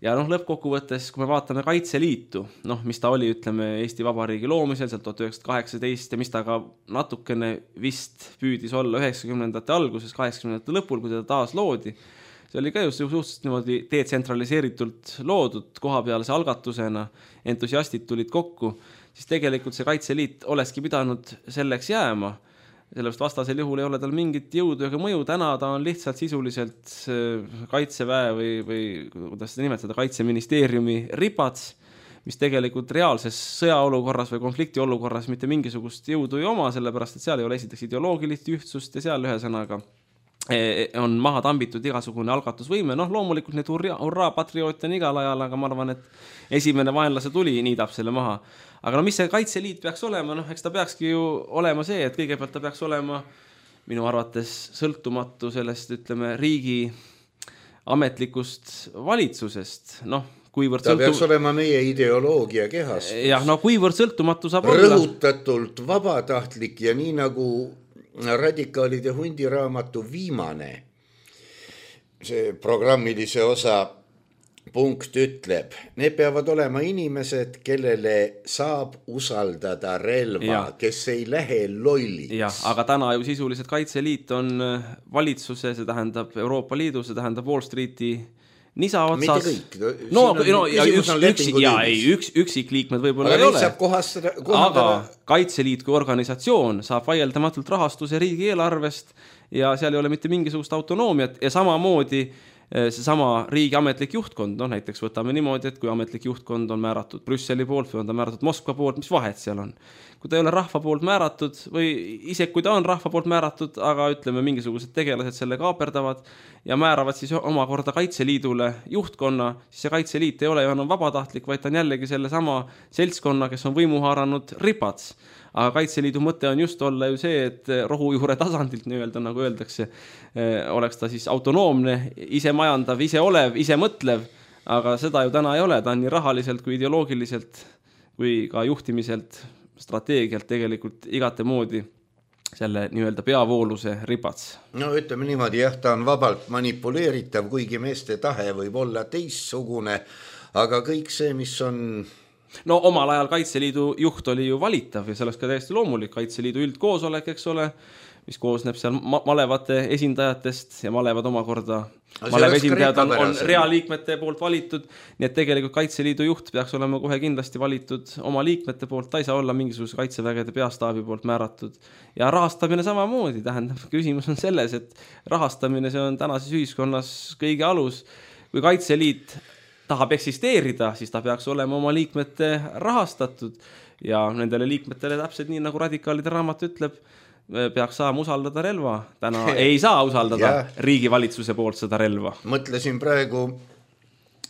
Ja noh, lõppkokkuvõttes, kui me vaatame Kaitseliitu, noh, mis ta oli, ütleme, Eesti Vabariigi loomisel, seal tuhat üheksasada kaheksateist ja mis ta ka natukene vist püüdis olla üheksakümnendate alguses, kaheksakümnendate lõpul, kui teda taas loodi, see oli ka just suhteliselt niimoodi detsentraliseeritult loodud kohapealse algatusena, entusiastid tulid kokku, siis tegelikult see Kaitseliit olekski pidanud selleks jääma, sellepärast vastasel juhul ei ole tal mingit jõudu ega mõju, täna ta on lihtsalt sisuliselt kaitseväe või, või kuidas seda nimetada, kaitseministeeriumi ripats, mis tegelikult reaalses sõjaolukorras või konfliktiolukorras mitte mingisugust jõudu ei oma, sellepärast et seal ei ole esiteks ideoloogilist ühtsust ja seal ühe sõnaga on maha tambitud igasugune algatusvõime, noh loomulikult need hurraa, hurraa patrioote on igal ajal, aga ma arvan, et esimene vaenlase tuli niidab selle maha. Aga no mis see Kaitseliit peaks olema, noh eks ta peakski ju olema see, et kõigepealt ta peaks olema minu arvates sõltumatu sellest, ütleme, riigi ametlikust valitsusest, noh kuivõrd ta sõltum... peaks olema meie ideoloogia kehastus. Jah, no kuivõrd sõltumatu saab olla. Rõhutatult vabatahtlik ja nii nagu radikaalide hundiraamatu viimane see programmilise osa punkt ütleb, need peavad olema inimesed, kellele saab usaldada relva, ja. Kes ei lähe lolliks. Jah, aga täna ju sisuliselt Kaitseliit on valitsuse, see tähendab Euroopa Liidu, see tähendab Wall Streeti nisa otsas. Mitte kõik. No, no, ja üks, üks, ja ei, üks, üksikliikmed võib-olla aga ei ole. Kohastada, aga Kaitseliit kui organisatsioon saab vaieldamatult rahastuse riigieelarvest ja seal ei ole mitte mingisugust autonoomiat ja samamoodi see sama riigi ametlik juhtkond, no näiteks võtame niimoodi, et kui ametlik juhtkond on määratud Brüsseli poolt või on ta määratud Moskva poolt, mis vahet seal on? Kui ta ei ole rahva poolt määratud või ise kui ta on rahva poolt määratud, aga ütleme mingisugused tegelased selle kaaperdavad ja määravad siis omakorda Kaitseliidule juhtkonna, siis see Kaitseliit ei ole ju enam vabatahtlik, vaid ta on jällegi selle sama seltskonna, kes on võimu haaranud ripats. Aga Kaitseliidu mõte on just olla ju see, et rohujuure tasandilt nii-öelda, nagu öeldakse, oleks ta siis autonoomne, ise majandav, ise olev, ise mõtlev, aga seda ju täna ei ole, ta on nii rahaliselt kui ideoloogiliselt kui ka juhtimiselt, strateegialt tegelikult igate moodi selle nii-öelda peavooluse ripats. No ütleme niimoodi, jah, ta on vabalt manipuleeritav, kuigi meeste tahe võib olla teissugune, aga kõik see, mis on... No omal ajal Kaitseliidu juht oli ju valitav ja selleks ka täiesti loomulik Kaitseliidu üldkoosolek, eks ole, mis koosneb seal ma- malevate esindajatest ja malevad omakorda maleva esindajad on, on realiikmete poolt valitud, nii et tegelikult Kaitseliidu juht peaks olema kohe kindlasti valitud oma liikmete poolt, ta ei saa olla mingisuguse kaitsevägede peastaabi poolt määratud ja rahastamine samamoodi, tähendab, küsimus on selles, et rahastamine see on tänases ühiskonnas kõige alus, kui Kaitseliit tahab eksisteerida, siis ta peaks olema oma liikmete rahastatud ja nendele liikmetele täpselt nii, nagu radikaalide raamat ütleb, peaks saama usaldada relva. Täna ei saa usaldada riigivalitsuse poolt seda relva. Mõtlesin praegu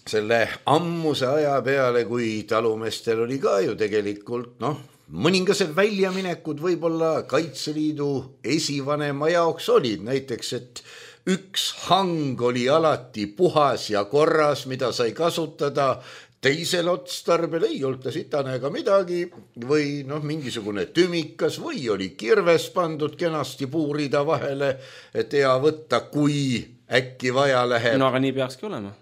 selle ammuse aja peale, kui talumestel oli ka ju tegelikult, noh, mõningased väljaminekud võib-olla Kaitseliidu esivanema jaoks olid, näiteks, et üks hang oli alati puhas ja korras, mida sai kasutada, teisel otstarbel ei olta sitane ega midagi või noh, mingisugune tümikas või oli kirves pandud kenasti puurida vahele, et hea võtta, kui äkki vaja läheb. No aga nii peakski olema.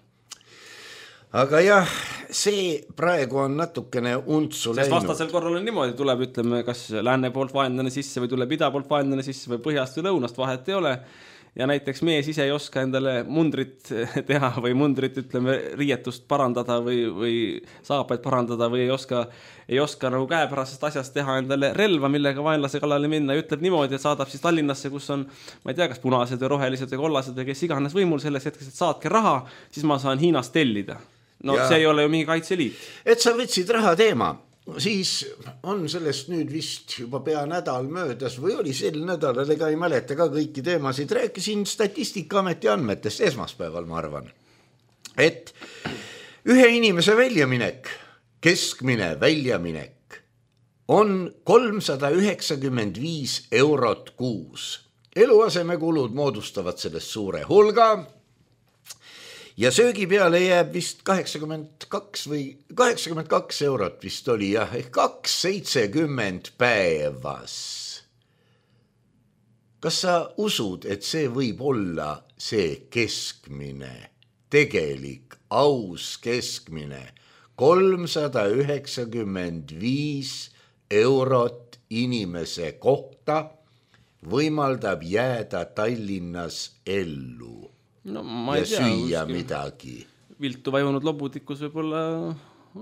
Aga jah, see praegu on natukene untsu läinud. Sest vastasel korral on niimoodi, tuleb ütleme, kas lääne poolt vaenlane sisse või tuleb ida poolt vaenlane sisse või põhjast või lõunast, vahet ei ole. Ja näiteks mees ise ei oska endale mundrit teha või mundrit, ütleme, riietust parandada või, või saapaid parandada või ei oska, ei oska nagu käepärasest asjast teha endale relva, millega vaenlase kallale minna ja ütleb niimoodi, et saadab siis Tallinnasse, kus on, ma ei tea, kas punased või rohelised või kollased või kes iganes võimul selles hetkes, et saatke raha, siis ma saan Hiinast tellida. No ja. See ei ole ju mingi Kaitseliit. Et sa võtsid raha teema. Siis on sellest nüüd vist juba pea nädal möödas või oli sel nädalal, ega ei mäleta ka kõiki teemasid, rääkisin Statistikaameti andmetest esmaspäeval, ma arvan, et ühe inimese väljaminek, keskmine väljaminek on kolmsada üheksakümmend viis eurot kuus. Eluasemekulud moodustavad sellest suure hulga ja söögi peale jääb vist kaheksakümmend kaks või kaheksakümmend kaks eurot vist oli, jah, ehk kaks seitsekümmend päevas. Kas sa usud, et see võib olla see keskmine, tegelik, aus keskmine, kolmsada üheksakümmend viis eurot inimese kohta võimaldab jääda Tallinnas ellu? No, ma ja ei tea, süüa midagi. Viltu vajunud lobutikus võib-olla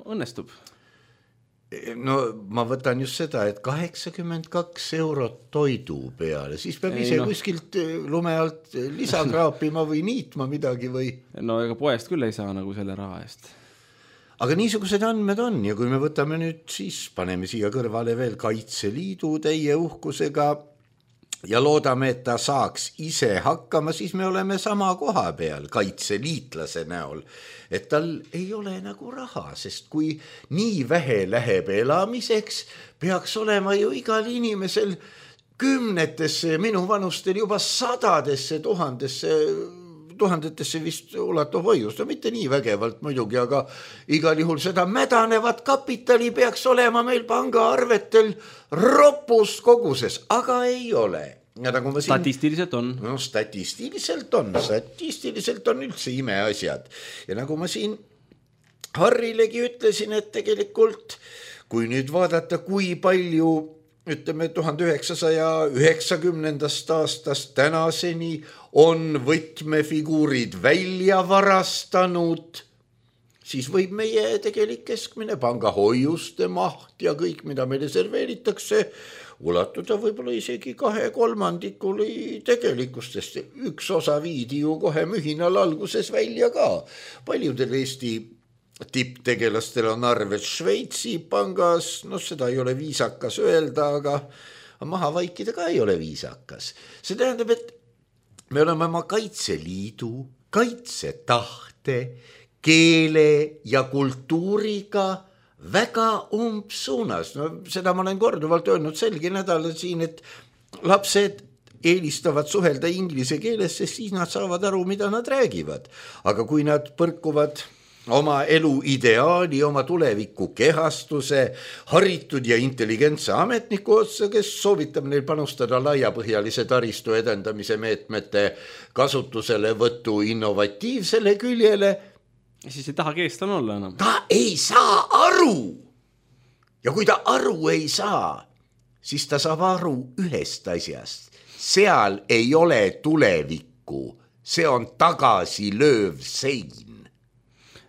õnnestub. No ma võtan just seda, et kaheksakümmend kaks eurot toidu peale, siis peab ise no. kuskilt lume alt lisakraapima või niitma midagi või? No ega poest küll ei saa nagu selle raha eest. aga niisugused andmed on ja kui me võtame nüüd, siis paneme siia kõrvale veel Kaitseliidu täie uhkusega ja loodame, et ta saaks ise hakkama, siis me oleme sama koha peal kaitseliitlase näol, et tal ei ole nagu raha, sest kui nii vähe läheb elamiseks, peaks olema ju igal inimesel kümnetesse, minu vanustel juba sadadesse, tuhandesse tuhandetesse vist ulatuv hoiust, no mitte nii vägevalt muidugi, aga igal juhul seda mädanevat kapitali peaks olema meil pangaarvetel ropus koguses, aga ei ole. Ja nagu ma siin, statistiliselt on. No statistiliselt on, statistiliselt on üldse imeasjad. Ja nagu ma siin Harrilegi ütlesin, et tegelikult kui nüüd vaadata, kui palju ütleme tuhande üheksasaja üheksakümnendast aastast tänaseni on võtmefiguurid välja varastanud, siis võib meie tegelik keskmine pangahoiuste maht ja kõik, mida meile serveeritakse, ulatuda võib-olla isegi kahe kolmandikuli tegelikustest. Üks osa viidi ju kohe mühinal alguses välja ka. Paljudel Eesti tipptegelastel on arved Šveitsi pangas, no seda ei ole viisakas öelda, aga maha vaikida ka ei ole viisakas. See tähendab, et me oleme oma Kaitseliidu, kaitsetahte, keele ja kultuuriga väga umbsuunas. No seda ma olen korduvalt öelnud selgi nädalal siin, et lapsed eelistavad suhelda inglise keeles, sest siis nad saavad aru, mida nad räägivad. Aga kui nad põrkuvad oma elu ideaali, oma tuleviku kehastuse, haritud ja intelligentse ametniku otsa, kes soovitab neil panustada laiapõhjalise taristu edendamise meetmete kasutusele võttu innovatiivsele küljele, siis ei taha keestlane olla enam. Ta ei saa aru. Ja kui ta aru ei saa, siis ta saab aru ühest asjast. Seal ei ole tulevikku, see on tagasi lööv sein.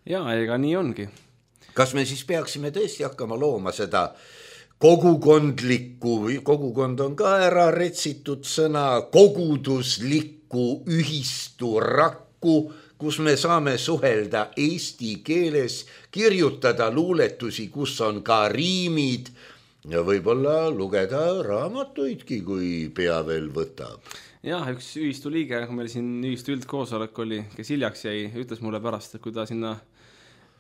Jaa, ega nii ongi. Kas me siis peaksime tõesti hakkama looma seda kogukondlikku, kogukond on ka ära retsitud sõna, koguduslikku ühistu rakku, kus me saame suhelda eesti keeles, kirjutada luuletusi, kus on ka riimid ja võib-olla lugeda raamatuidki, kui pea veel võtab. Jah, üks ühistu liige, kui meil siin ühistu üldkoosolek oli, kes hiljaks jäi, ütles mulle pärast, et kui ta sinna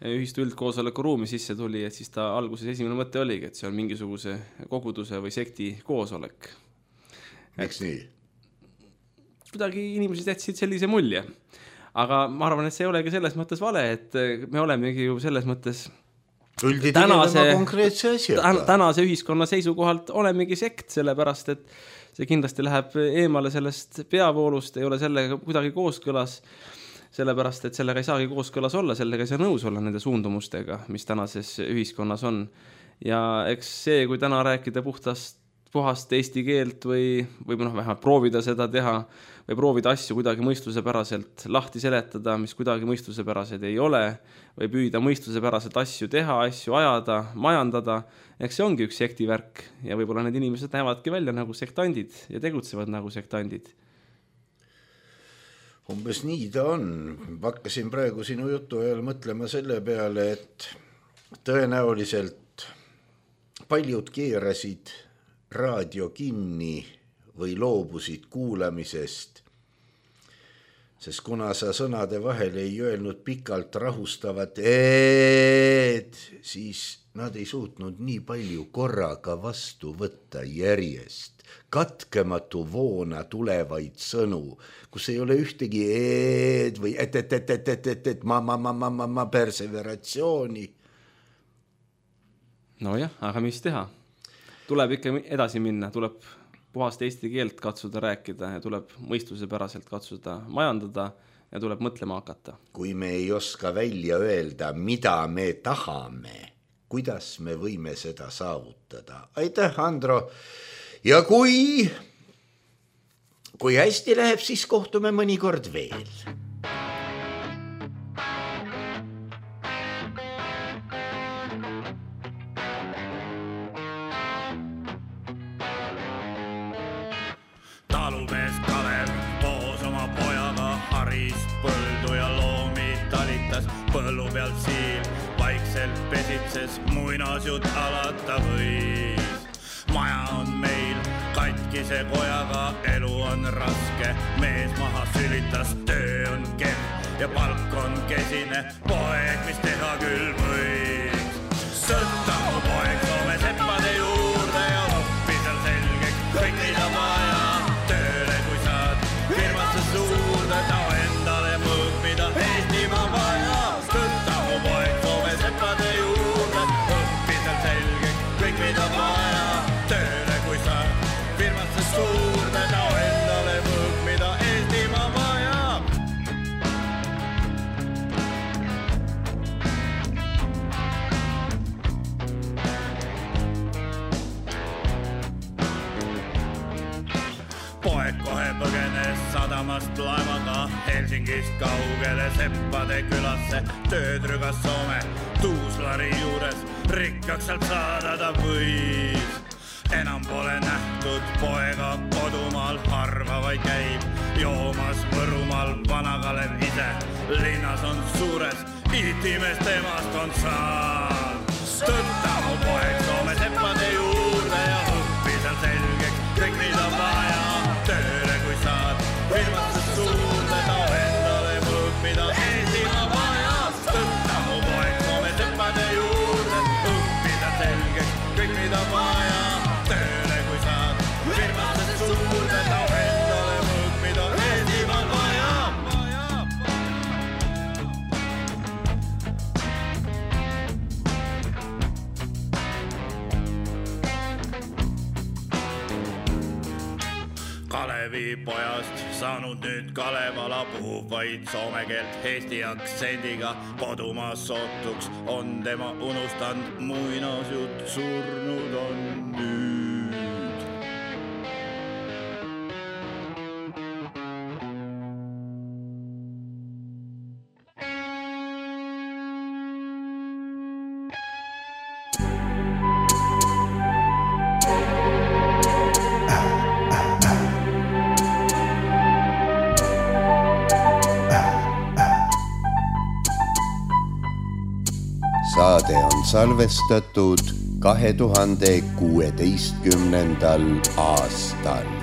ühistu üldkoosoleku ruumi sisse tuli, et siis ta alguses esimene mõte oligi, et see on mingisuguse koguduse või sekti koosolek. Miks nii? Kuidagi inimesed jätsid sellise mulje. Aga ma arvan, et see ei olegi selles mõttes vale, et me olemegi ju selles mõttes tänase, tänase ühiskonna seisukohalt olemegi sekt, sellepärast, et see kindlasti läheb eemale sellest peavoolust, ei ole sellega kuidagi kooskõlas, sellepärast, et sellega ei saagi kooskõlas olla, sellega ei saa nõus olla nende suundumustega, mis tänases ühiskonnas on. Ja eks see, kui täna rääkida puhtast, puhast eesti keelt või, või noh, vähemalt proovida seda teha või proovida asju kuidagi mõistusepäraselt lahti seletada, mis kuidagi mõistusepärased ei ole, või püüda mõistusepäraselt asju teha, asju ajada, majandada, eks see ongi üks sektivärk ja võib-olla need inimesed näevadki välja nagu sektandid ja tegutsevad nagu sektandid. Umbes nii ta on. Hakkasin praegu sinu jutu ajal mõtlema selle peale, et tõenäoliselt paljud keerasid raadio kinni või loobusid kuulamisest, sest kuna sa sõnade vahel ei öelnud pikalt rahustavat eed, siis nad ei suutnud nii palju korraga vastu võtta järjest. Katkematu voona tulevaid sõnu, kus ei ole ühtegi eed või et, et, et, et, et, et, et ma, ma, ma, ma, ma, ma perseveratsiooni. No jah, aga mis teha? Tuleb ikka edasi minna, tuleb puhast eesti keelt katsuda rääkida ja tuleb mõistuse päraselt katsuda majandada ja tuleb mõtlema hakata. Kui me ei oska välja öelda, mida me tahame, kuidas me võime seda saavutada? Aitäh, Andro! Ja kui, kui hästi läheb, siis kohtume mõnikord veel. Talumees Kalev koos oma pojaga haris põldu ja loomi talitas põllu pealt siin vaikse vaikselt pesitses, muinasjut alata võis. Maja on meil katkise kojaga, elu on raske, mees maha sülitas, töö on kemm ja palk on kesine, poeg, mis teha küll võiks. Sõtta mu poeg Soome seppade juurde ja oppi seal selgeks, kõik mida vaja, tööle kui saad, firmasse suurde, ta endale mõõg, mida Eestimaa vaja. Sõtta mu poeg Soome seppade juurde, oppi seal selgeks, kõik mida vaja, tööle kui saad, firmasse suurde, ta endale mõõg, mida Eestimaa vaja. Poeg kohe põgenes sadamast laevaga Helsingist kaugele seppade külasse, tööd rügas Soome Tuuslari juures, rikkaks sealt saada ta võis. Enam pole nähtud poega kodumaal, harva vaid käib joomas Võrumaal Vana-Kalev ise, linnas on suures, itimes temast on saal. Tõtta mu poeg Soome seppade juurde ja õppi seal selgeks, kõik mida vaja, tööle kui saad, firmasse suurde, ta endale mõõg, mida Eestimaa vaja. Tõtta mu poeg Soome seppade juurde, õppi seal selgeks, kõik mida vaja, tööle kui saad, firmasse suurde, ta endale mõõg, mida Eestimaa vaja. Kalevi pojast saanud nüüd Kalevala, puhub vaid soome keelt Eesti aktsendiga, kodumaa sootuks on tema unustanud, muinasjutt surnud on nüüd. Saade on salvestatud kahe tuhande kuueteistkümnendal aastal.